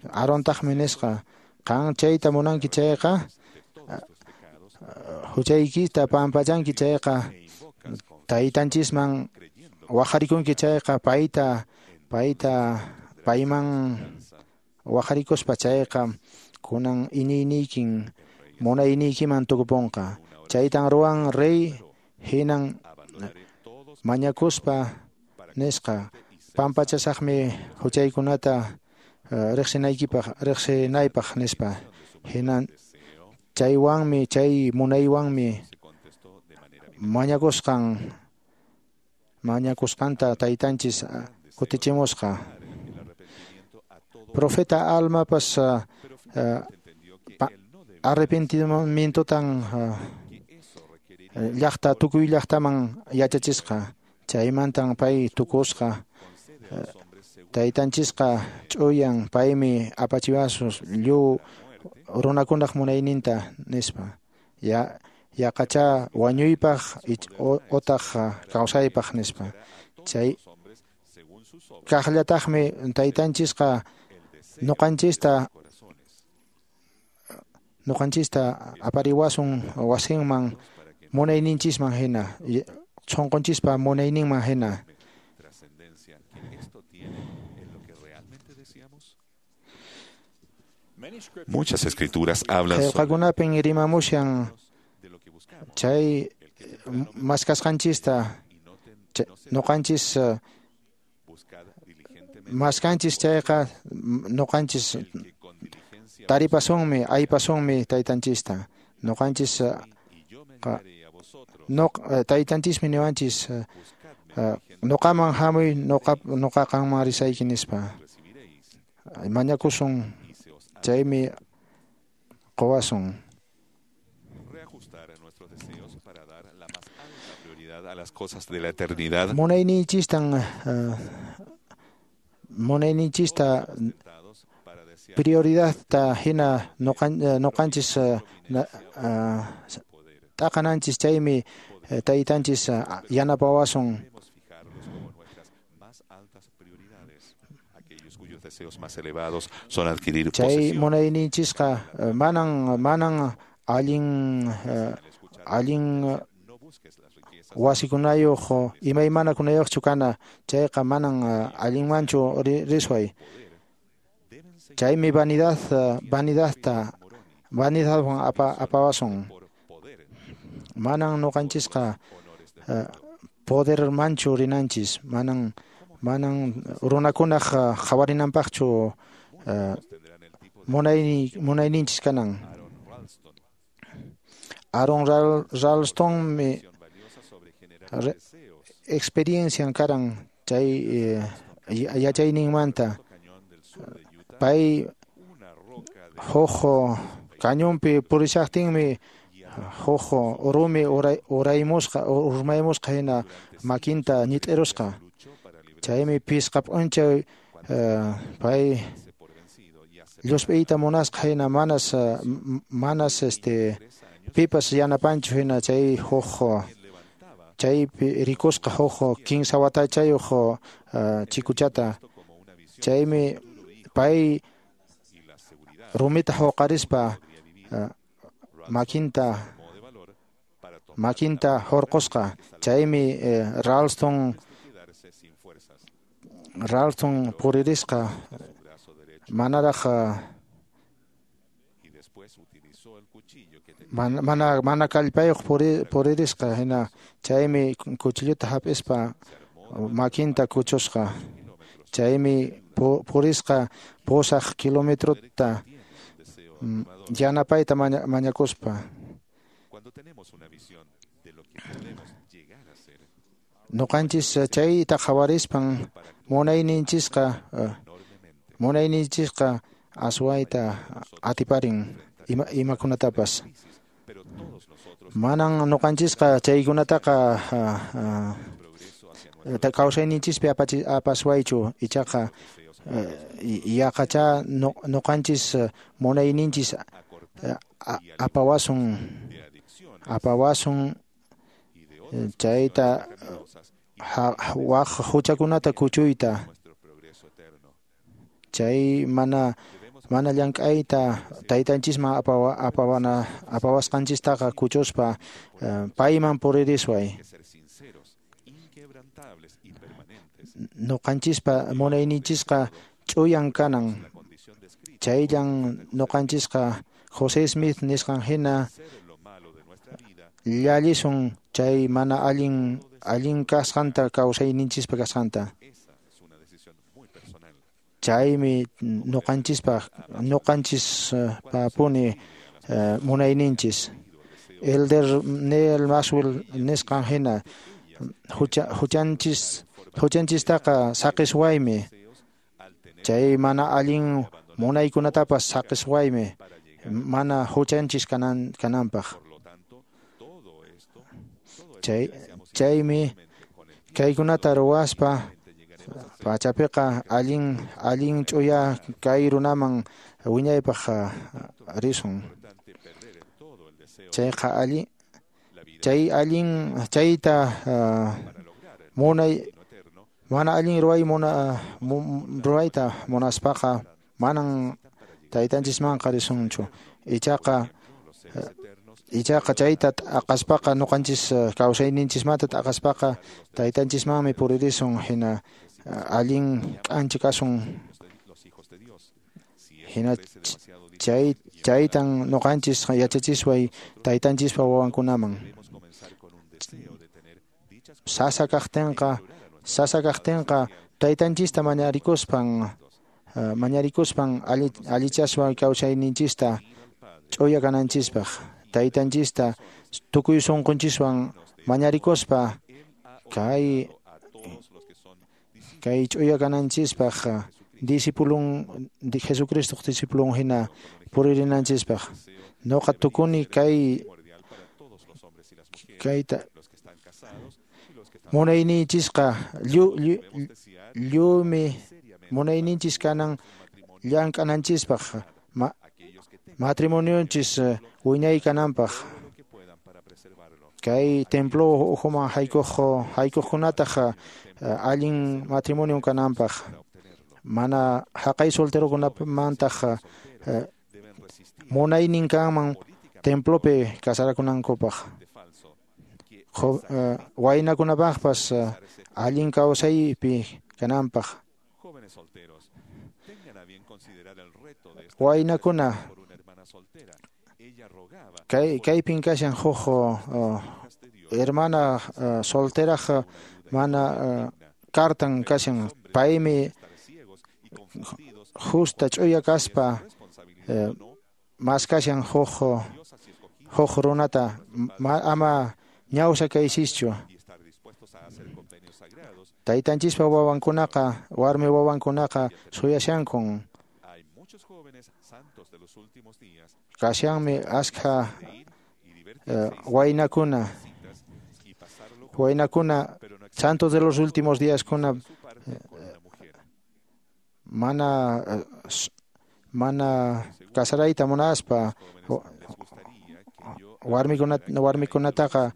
Aarontaqmi nisqa qan chayta munanki chayqa huchaykita pampachanki chayqa taytanchisman waqarikunki chayqa payta payman waqarikuspa chayqa kunan iñiyniykin munayniykiman tukupunqa. Chaytan ruwan rey hinan mañakuspa nisqa pampachasaqmi huchaykunata riqsinaykipaq riqsinaypaq nispa. Hinan chaywanmi chay munaywanmi mañakusqanta taytanchis kutichimusqa. Profeta Almapas arrepentimientotan llaqta tukuy llaqtaman yachachisqa. Chaymantan pay tukusqa taytanchisqa ch'uyan paymi apachiwasun lliw runakunaq munayninta nispa. Yaqacha wañuypaq otaq kawsaypaq nispa. Chay kaqllataqmi taytanchisqa noqanchista apariwasun wasinman munayninchisman hina sunqunchispa munayninman hina. Muchas escrituras hablan sobre Qillqakunapin rimamushan chay maskasqanchista noqanchis maskanchis chayqa noqanchis taripasunmi aypasunmi taytanchista. Noqanchis taytanchismi niwanchis noqaman hamuy noqa qanman risayki nispa. Mañakusun chaymi qowasun. Reajustar nuestros deseos para dar la más alta prioridad a las cosas de la eternidad. Munayninchista prioridadta hina noqanchis t'aqananchis chaymi taytanchis yanapawasun. Deseos más elevados son adquirir chay munayninchisqa manan allin wasikunayuq imaymanakunayuqchu kana chayqa manan allinmanchu risway. Chaymi vanidadwan apawasun. Manan noqanchisqa podermanchu rinanchis manan runakunaq qhawarinanpaqchu munayninchis kanan. Aaron Ralstonmi experiencian karan chay yachayninmanta. Pay huk cañonpi purishaqtinmi huk rumi uraymusqa urmaymusqa hina makinta ñit'irusqa. Chaymi pisqa p'unchay pay llusp'iyta munasqa hina manas pipas yanapanchu hina chay huk chaypi rikusqa huk 15 watachayuq chikuchata. Chaymi pay rumita huqarispa makinta hurqusqa. Chaymi Ralston puririsqa manaraq mana kallpayuq puririsqa hina chaymi cuchilluta hap'ispa makinta kuchusqa. Chaymi purisqa 8 kilometrota yanapayta mañakuspa. Cuando tenemos una visión de lo que podemos llegar a ser, Ñuqanchis chayta qhawarispan munayninchisqa aswayta atiparin imakunatapas. Manan ñuqanchisqa chaykunataqa kawsayninchispi apaswaychu, ichaqa yaqacha ñuqanchis munayninchis apawasun chayta waq huchakunata kuchuyta, chay mana llank'ayta taytanchisman apawasqanchistaqa kuchuspa payman puririsway. Ñuqanchispa munayninchisqa ch'uyan kanan, chayllan ñuqanchisqa José Smith nisqan hina llallisun chay mana allin kasqanta kawsayninchispa kasqanta. Chaymi ñuqanchispapuni munayninchis. Elder Neil Maxwell nisqan hina huchanchistaqa saqiswaymi, chay mana allin munaykunatapas saqiswaymi mana huchanchis kananpaq. Chaymi kaykunata ruwaspa pachapiqa allin ch'uya kay runaman wiñaypaq risun. Chayqa chay allin chayta munay mana allin ruwayta munaspaqa manan taytanchismanqa risunchu. Ichaqa chayta t'aqaspaqa ñuqanchis kawsayninchismanta t'aqaspaqa taytanchismanmi puririsun, hina allin k'anchi kasun. Hina chaytan ñuqanchis yachachisway taytanchispa wawankunaman. Sasa kaqtinqa taytanchista mañarikuspan allichaswa kawsayninchista ch'uya kananchispaq. Taytanchista tukuy sunqunchiswan mañarikuspa kay ch'uya kananchispaq discipulun Jesucristoq discipulun hina puririnanchispaq. Ñuqa tukuni kayta munayninchisqa lliwmi munayninchis kanan llank'ananchispaq, matrimonionchis wiñay kananpaq. Kay templo ukhuman haykuqkunataq allin matrimonio kananpaq, mana haqay solterokunamantaq munaynin kanman templopi casarakunankupaq. Waynakunapaqpas allin kawsaypi kananpaq. Waynakuna kaypin kashan huk hermana solteraj mana kartan kashan, paymi justa ch'uya kaspa maskashan huk runata, ama ñawsa kaysischu. Taytanchispa wawankunaqa warmi wawankunaqa suyashankun. Kashanmi askha waynakuna santos de los últimos días kuna mana casarayta munaspa warmikunataqa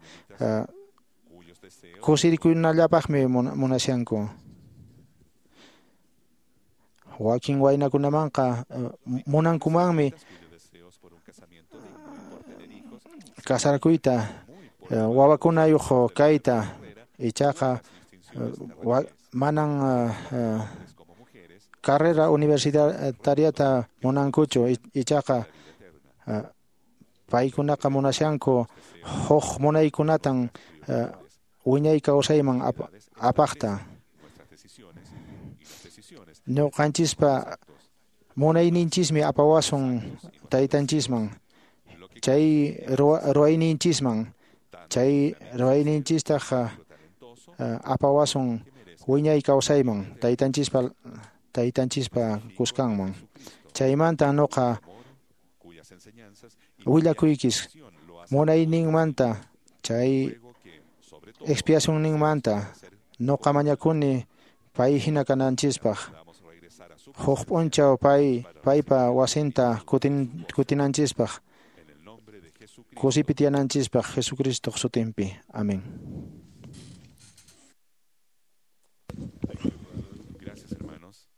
kusirikunallapaqmi munashanku. Wakin waynakunamanqa munankumanmi kasarakuyta, wawakunayuq kayta, ichaqa manan carrera universitariata munankuchu, ichaqa paykunaqa munashanku huk munaykunatan wiñay kawsayman apaqta. Ñuqanchispa munayninchismi apawasun taytanchisman, chay ruwayninchisman, chay ruwayninchistaq apawasun wiñay kawsayman taytanchispa kuskanman. Chaymanta noqa willakuykis munayninmanta chay expiacionninmanta noqa mañakuni pay hina kananchispaq. Huk p'unchaw paypa wasinta kutinanchispaq, kusipi tiyananchispaq Jesucristoq sutinpi. Amén. Gracias, hermanos.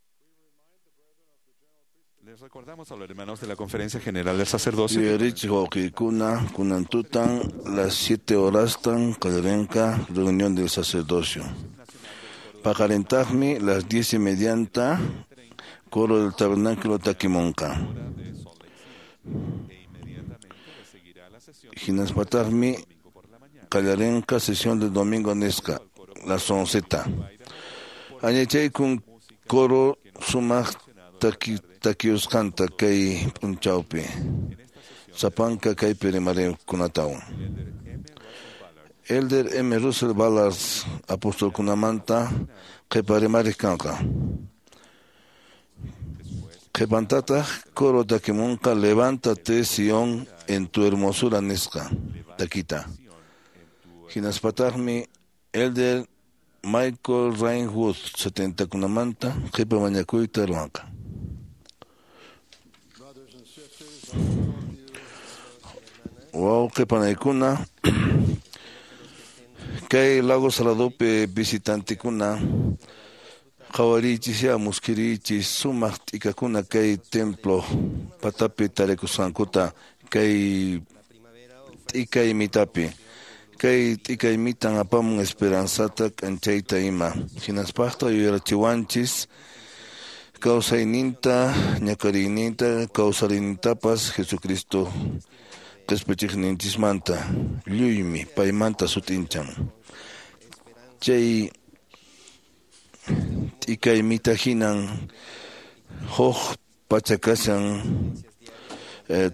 Les recordamos a los hermanos de la Conferencia General del Sacerdocio. Yuyarichik wawqiykuna kunantutan las 7 horastan qallarinqa reunión del sacerdocio. Paqarintaqmi las 10:30 coro del tabernáculo takimunqa. Hinaspataqmi qallarinqa sesión del domingo nisqa las 11. Añachaykun coro sumaq takiusqanta kay p'unchawpi sapanka kaypi rimarikunatawan. Elder M. Russell Ballard apostolkunamanta qhipa rimariq kanqa. Qhipantataq coro takimunqa Levántate Sion en tu hermosura nisqa takita. Hinaspataqmi Elder Michael Rainwood 70kunamanta qhipa mañakuyta ruwanqa. Wawqi panaykuna kay Lago Saladopi visitantekuna qhawariychis muskiriychis sumaq t'ikakuna kay templo patapi tarikusqankuta kay t'ikay mitapi. Kay t'ikay mitan apamun esperanzata k'anchayta ima. Hinaspaqta yuyarachiwanchis kawsayninta, ñakariyninta, kawsariynintapas Jesucristo qhispichiqninchismanta lluymi paymanta sut'inchan. Chay t'ikay mita hinan huk pacha kashan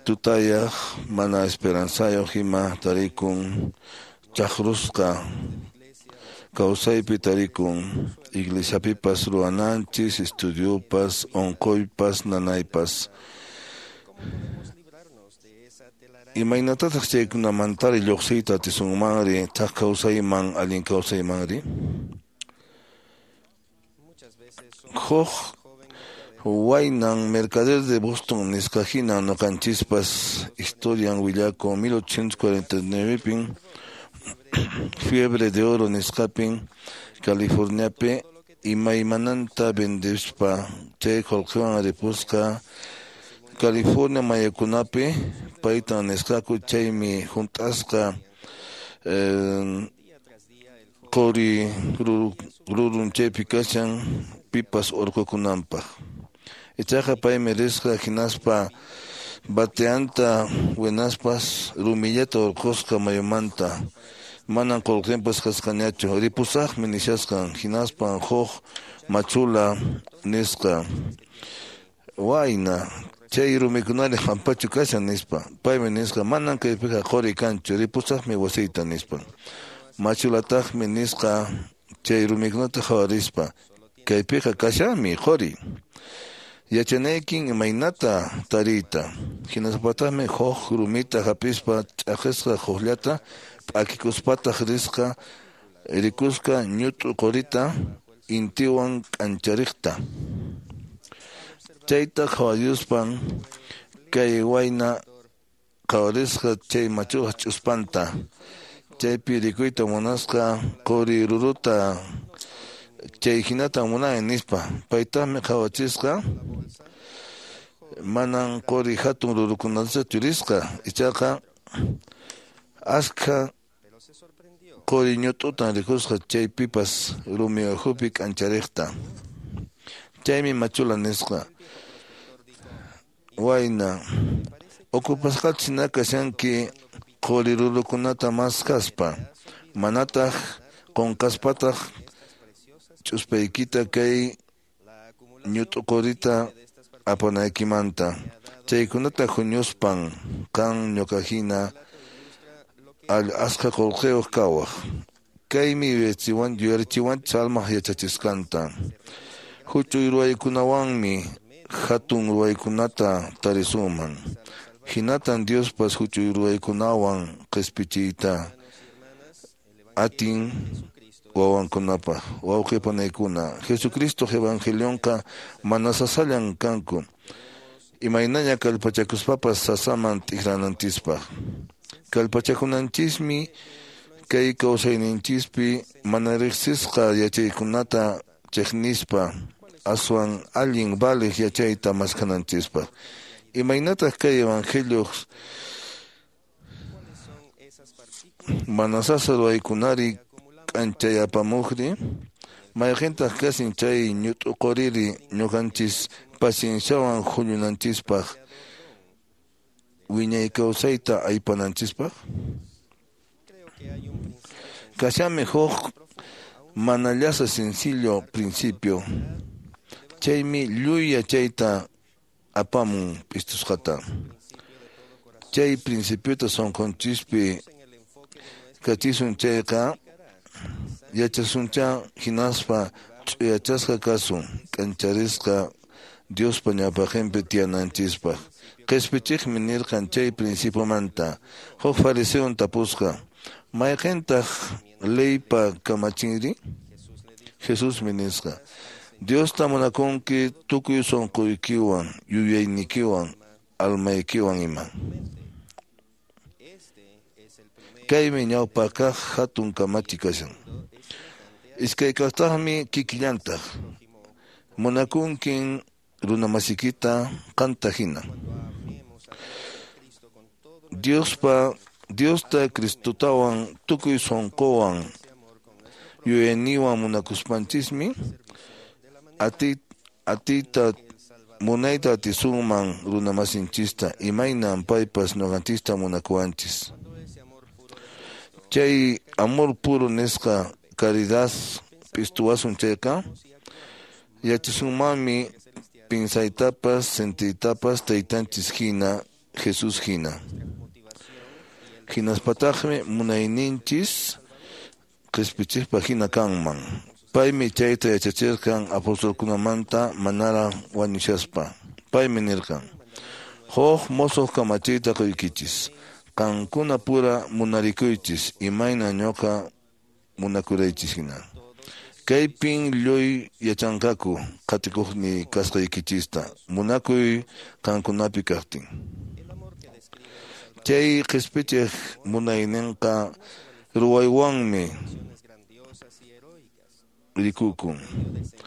tutayaq mana esperanzayuq ima tarikun chaqrusqa kawsaypi tarikun iglesiapipas ruwananchis estudiopas unquypas nanaypas. Imaynatataq chaykunamantari lluqsiyta atisunmanri thak kawsayman allin kawsaymanri? Huk waynan mercader de Boston nisqa hina ñuqanchispas historian willakun 1849pin fiebre de oro nisqapin Californiapi imaymananta vendispa chay qullqiwan ripusqa California mayukunapi paytan nisqaku chaymi hunt'asqa quri rurun chaypi kashan pipas urqukunanpaq. Ichaqa paymi risqa hinaspa bateanta winaspas rumillata urqusqa mayumanta manan qullqinpas kasqañachu ripusaqmi nishasqan hinaspan huk machula nisqa wayna chay rumikunari hampachu kashan nispa paymi nisqa manan kaypiqa quri kanchu ripusaqmi wasiyta nispa machulataqmi nisqa chay rumikunata qhawarispa kaypiqa kashanmi quri yachanaykin imaynata tariyta hinaspataqmi huk rumita hapispa ch'aqisqa hukllata p'akikuspataq risqa rikusqa ñut'u qurita intiwan k'anchariqta. Chayta qhawarispan kay wayna qhawarisqa chay machuqa ch'uspanta chaypi rikuyta munasqa quri ruruta chay hinata munani nispa paytaqmi qhawachisqa manan quri hatun rurukunatachu churisqa ichaqa askha quri ñut'utan rikusqa chaypipas rumi ukhupi k'anchariqta. Chaymi machula nisqa wayna ukupasqachu hina kashanki quri rurukunata maskaspa manataq qunqaspataq ch'uspaykita kay ñut'u qurita apanaykimanta chaykunata huñuspan qan ñuqa hina askha qullqiyuq kawaq. Kaymi yuyarichiwanchis almaq yachachisqanta. Huch'uy ruwaykunawanmi hatun ruwaykunata tarisunman. Hinatan Diospas huch'uy ruwaykunawan qispichiyta atin wawankunapaq. Wawqi panaykuna, Jesucristo evangelionqa mana sasallan kanku. Imaynaña kallpachakuspapas sasaman t'ikrananchispaq. Kallpachakunanchismi kay kawsayninchispi mana riqsisqa yachaykunata chiqnispa aswan allin valiq yachayta maskhananchispaq. Imaynataq kay evangelio mana sasa ruwaykunari k'anchayapamuqri? Mayqintaq kasin chay ñut'uquriri ñuqanchis pacienciawan huñunanchispaq wiñay kawsayta aypananchispaq? Kashanmi huk mana llasa sencillo principio. Chaymi lluy yachayta apamun p'istusqata. Chay principiota sunqunchispi kachisun chayqa yachasuncha hinaspa ch'uyachasqa kasun k'ancharisqa Diospa ñawpaqinpi tiyananchispaq. Qispichiqmi nirqan chay principiomanta. Huk fariseon tapusqa: Mayqintaq leypa kamachinri? Jesusmi nisqa: Diosta munakunki tukuy sunquykiwan, yuyaynikiwan, almaykiwan ima. Kaymi ñawpa kaq hatun kamachi kashan. Iskay kaqtaqmi kikillantaq. Munakunkin runamasikita qanta hina. Diosta Cristotawan tukuy sunquwan yuyayniwan munakuspanchismi atiyta munayta atisunman runamasinchista imaynan paypas ñuqanchista munakuwanchis. Chay amor puro nisqa caridad p'istuwasun chayqa yachasunmanmi pinsaytapas sentiytapas taytanchis hina Jesús hina. Hinaspataqmi munayninchis qispichiqpa hina kanman. Paymi chayta yachachirqan apostolkunamanta manaraq wañushaspa. Paymi nirqan: Huk mosoq kamachiyta quykichis. Qankuna pura munarikuychis imayna ñuqa munakuraychis hina. Kaypin lluy yachanqaku qatikuqni kasqaykichista munakuy qankunapi kaqtin. Chay qispichiq munayninqa ruwaywanmi rikukun.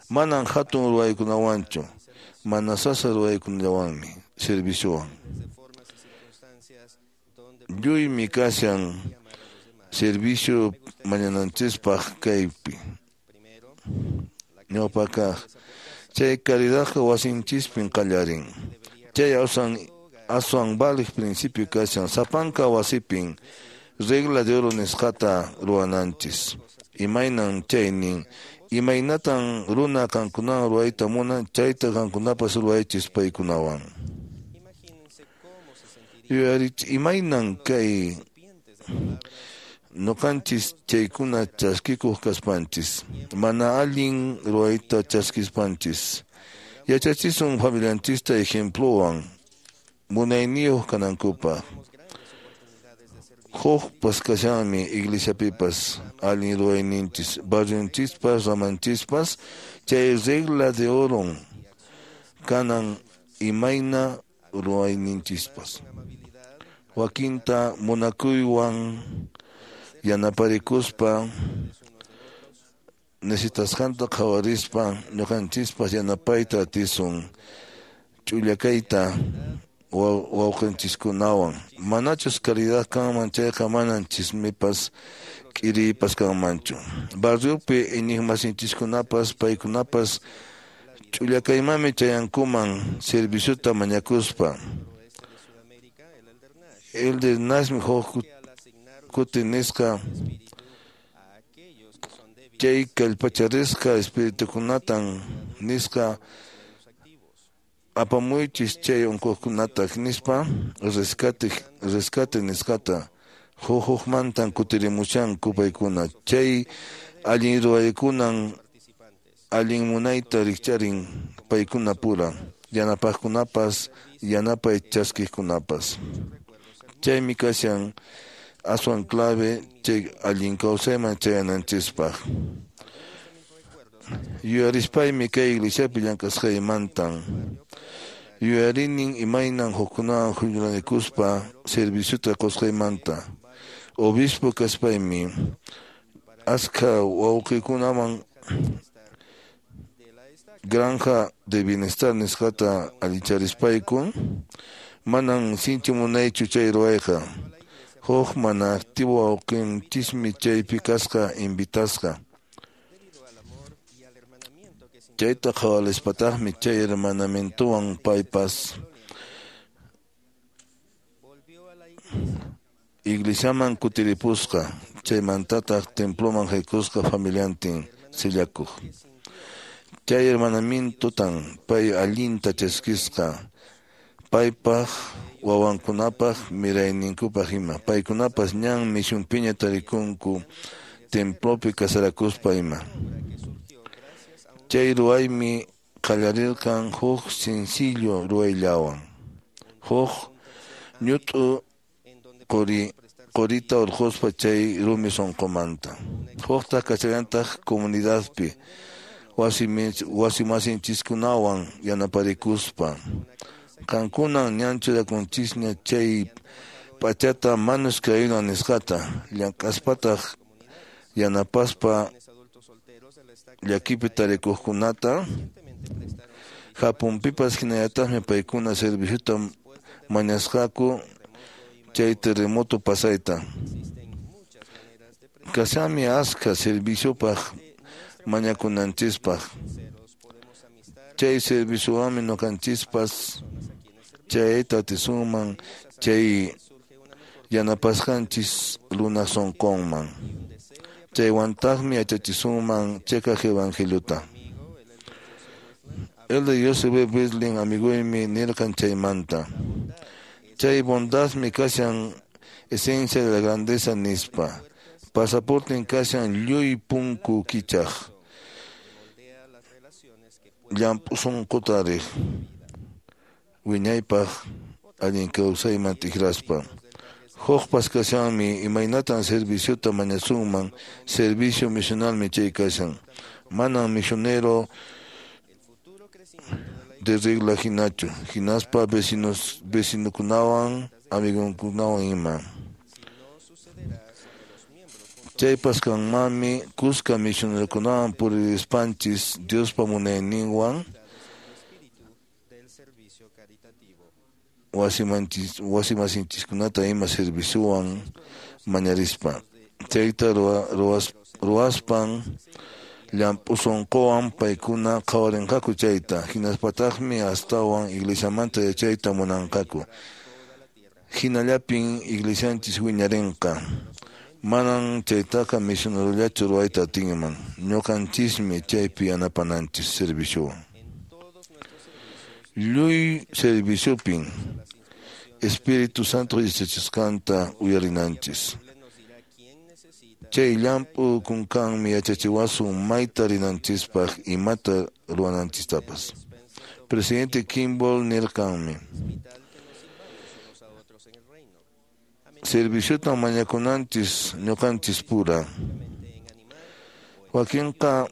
Manan hatun ruwaykunawanchu, mana sasa ruwaykunallawanmi, serviciowan. Lluymi kashan servicio mañananchispaq kaypi. Ñawpa kaq chay caridadqa wasinchispin qallarin. Chay aswan valiq principio kashan sapanka wasipin regla de oro nisqata ruwananchis. Imaynan chaynin, imaynatan runa qankunawan ruwayta munan chayta qankunapas ruwaychis paykunawan. Imaynan kay ñuqanchis chaykuna chaskikuq kaspanchis, mana allin ruwayta chaskispanchis. Yachachisun familianchista ejemplowan munayniyuq kanankupaq. Hukpas kashanmi iglesiapipas allin ruwayninchis, barrionchispas, ramanchispas, chay regla de oro kanan imayna ruwayninchispas. Wakinta munakuywan yanaparikuspa necesitasqanta qhawarispa ñuqanchispas yanapayta atisun ch'ullakayta wawqinchiskunawan. Manachus caridad kanman chayqa manan chismipas k'iriypas kanmanchu. Barriopi iñiqmasinchiskunapas paykunapas ch'ullakaymanmi chayankuman serviciota mañakuspa. Elder Nashmi huk kuti nisqa chay kallpacharisqa espiritukunatan nisqa apamuychis chay unquqkunata nispa rescate nisqata Huk-hukmantan kutirimushanku paykuna. Chay allin ruwaykunan allin munayta rikcharin paykuna pura, yanapaqkunapas, yanapay chaskiqkunapas. Chaymi kashan aswan clave chay allin kawsayman chayananchispaq. Yuyarispaymi kay iglesiapi llank'asqaymantan. Yuyarinin imaynan hukkunawan huñunaykuspa serviciota qusqaymanta. Obispo kaspaymi askha wawqikunaman granja de bienestar nisqata allicharispayku manan sinchi munaychu chay ruwayqa. Huk mana activo wawqinchismi chaypi kasqa invitasqa. Chayta qhawarispataqmi chay hermanamientowan paypas iglesiaman kutiripusqa, chaymantataq temploman haykusqa familiantin sillakuq. Chay hermanamientotan pay allinta chaskisqa, paypaq wawankunapaq mirayninkupaq ima. Paykunapas ñan misionpiña tarikunku templopi casarakuspa ima. Chay ruwaymi qallarirqan huk sencillo ruwayllawan. Huk ñut'u qurita urquspa chay rumi sunqumanta. Huktaq kachallantaq comunidadpi wasimasinchikkunawan yanaparikuspa. Qankunan ñan churakunchisña chay p'achata manos que ayudan nisqata, llank'aspataq yanapaspa llakipi tarikuqkunata. Japunpipas hinallataqmi paykuna serviciota mañasqaku chay terremoto pasayta. Kashanmi askha serviciopaq mañakunanchispaq. Chay serviciowanmi ñuqanchispas chayta atisunman chay yanapasqanchis runa sunqunman. Chaywantaqmi yachachisunman chiqaq evangeliota. Elder Joseph B. Wirthlin amiguymi nirqan chaymanta. Chay bondadmi kashan esencia de la grandeza nispa. Pasaporten kashan lluy punku kichaq. Llamp'u sunquta riq. Wiñaypaq allin kawsayman tikraspa. Hukpas kashanmi imaynatan serviciota mañasunman, servicio misionalmi chay kashan. Manan misionero de regla hinachu, hinaspa vecinukunawan, amigonkunawan ima. Chaypas kanmanmi kuska misionerokunawan puririspanchis Diospa munayninwan wasimasinchikkunata ima serviciowan mañarispa. Chayta ruwaspan llamp'u sunquwan paykuna qhawarinqaku chayta, hinaspataqmi astawan iglesiamanta yachayta munanqaku. Hinallapin iglesianchis wiñarinqa. Manan chaytaqa misionerollachu ruwayta atinman. Ñuqanchismi chaypi yanapananchis serviciowan. Lluy serviciopin Espíritu Santo yachachisqanta uyarinanchis. Chay llamp'u kunkanmi yachachiwasun mayta rinanchispaq imata ruwananchistapas. Presidente Kimball nirqanmi: serviciotan mañakunanchis ñuqanchis pura. Wakinqa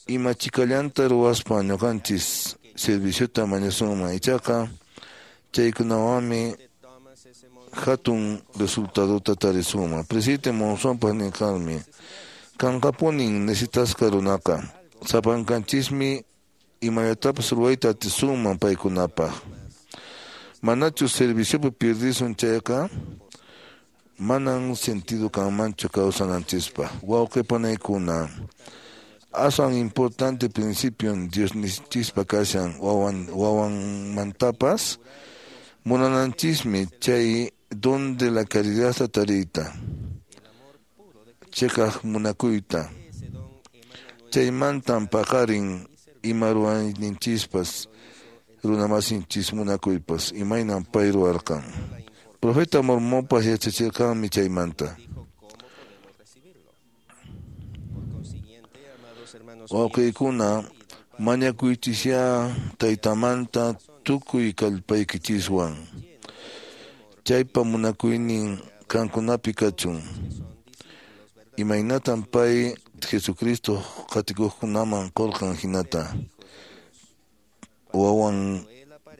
ima chikallanta ruwaspa ñuqanchis serviciota mañasunman, ichaqa chaykunawanmi hatun resultadota tarisunman. Presidente Monsonpas nirqanmi: kanqapunin necesitasqa runaqa, sapankanchismi imallatapas ruwayta atisunman paykunapaq. Manachus serviciopi pierdisun chayqa manan sentido kanmanchu kawsananchispaq. Wawqi panaykuna, aswan importante principio Diosninchispa kashan wawanmantapas munananchismi chay don de la caridad tariyta, chiqaq munakuyta. Chaymantan paqarin ima ruwayninchispas runamasinchis munakuypas imaynan pay ruwarqan. Profeta Mormonpas yachachirqanmi chaymanta. Wawqiykuna, mañakuychisyá taytamanta tukuy kallpaykichiswan. Chaypa munakuynin qankunapi kachun. Imaynatan pay Jesucristo qatikuqkunaman qurqan hinata wawan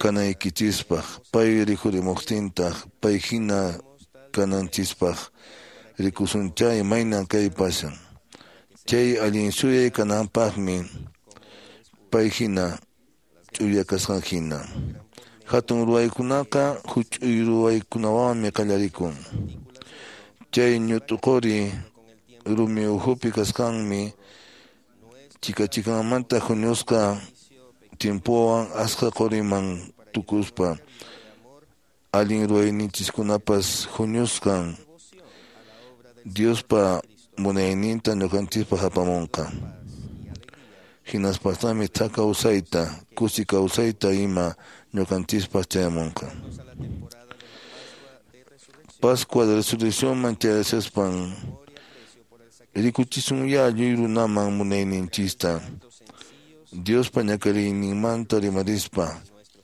kanaykichispaq, pay rikhurimuqtintaq, pay hina kananchispaq rikusunchá imaynan kay pasan. Chay allin suyay kananpaqmi pay hina ch'uya kasqan hina. Hatun ruwaykunaqa huch'uy ruwaykunawanmi qallarikun. Chay ñut'uquri rumi ukhupi kasqanmi chikachikanmanta huñusqa tiempowan asqa quriman tukuspa allin ruwayninchiskunapas huñusqan Diospa munayninta ñuqanchispaq apamunqa. Hinaspataqmi thak kawsayta, kusi kawsayta ima ñuqanchispaq chayamunqa. Pascua de Resurrecciónman chayashaspan rikuchisunyá lliw runaman munayninchista. Diospa ñakariyninmanta rimarispa,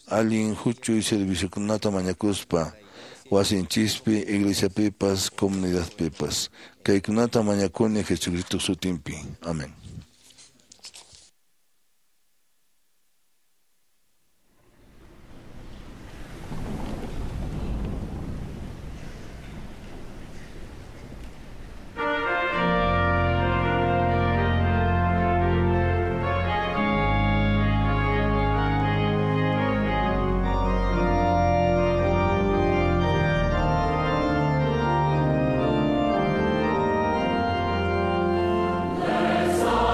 allin huch'uy serviciokunata mañakuspa, wasinchispi, iglesiapipas, comunidadpipas. Kaykunata mañakuni Jesucristo sutinpi. Amén. Let's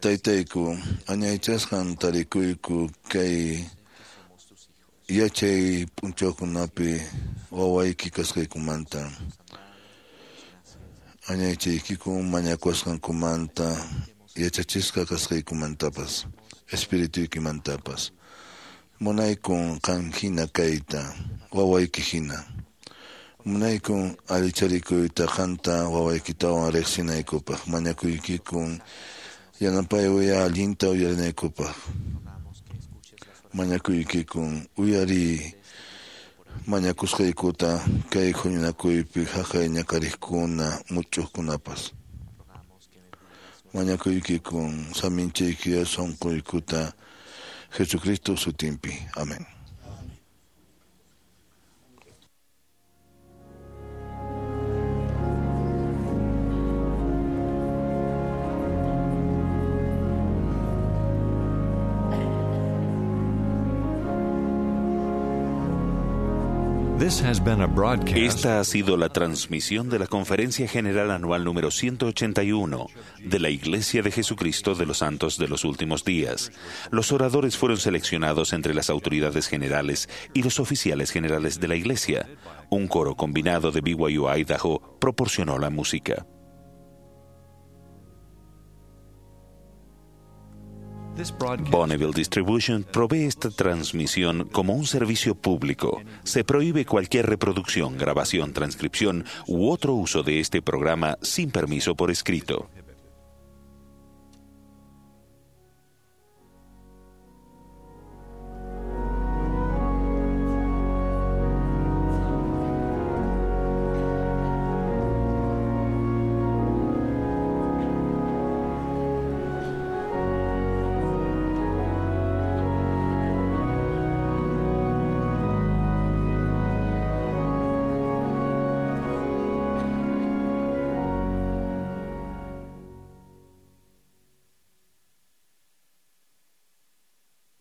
Taytayku, añaychasqan tarikuyku kay yachay p'unchawkunapi wawayki kasqaykumanta. Añaychaykiku mañakusqankumanta yachachisqa kasqaykumantapas, espirituykimantapas. Munaykun qan hina kayta, wawayki hina. Munaykun allicharikuyta qanta wawaykitawan riqsinaykupaq, mañakuykikun yanapayuya allinta uyarinaykupaq. Mañakuykikun uyariy mañakusqaykuta kay huñunakuypi haqay ñakariqkuna much'uqkunapas. Mañakuykikun saminchaykiya sunquykuta Jesucristo sutinpi. Amén. This has been a broadcast. Esta ha sido la transmisión de la Conferencia General Anual número 181 de la Iglesia de Jesucristo de los Santos de los Últimos Días. Los oradores fueron seleccionados entre las autoridades generales y los oficiales generales de la Iglesia. Un coro combinado de BYU Idaho proporcionó la música. Bonneville Distribution provee esta transmisión como un servicio público. Se prohíbe cualquier reproducción, grabación, transcripción u otro uso de este programa sin permiso por escrito.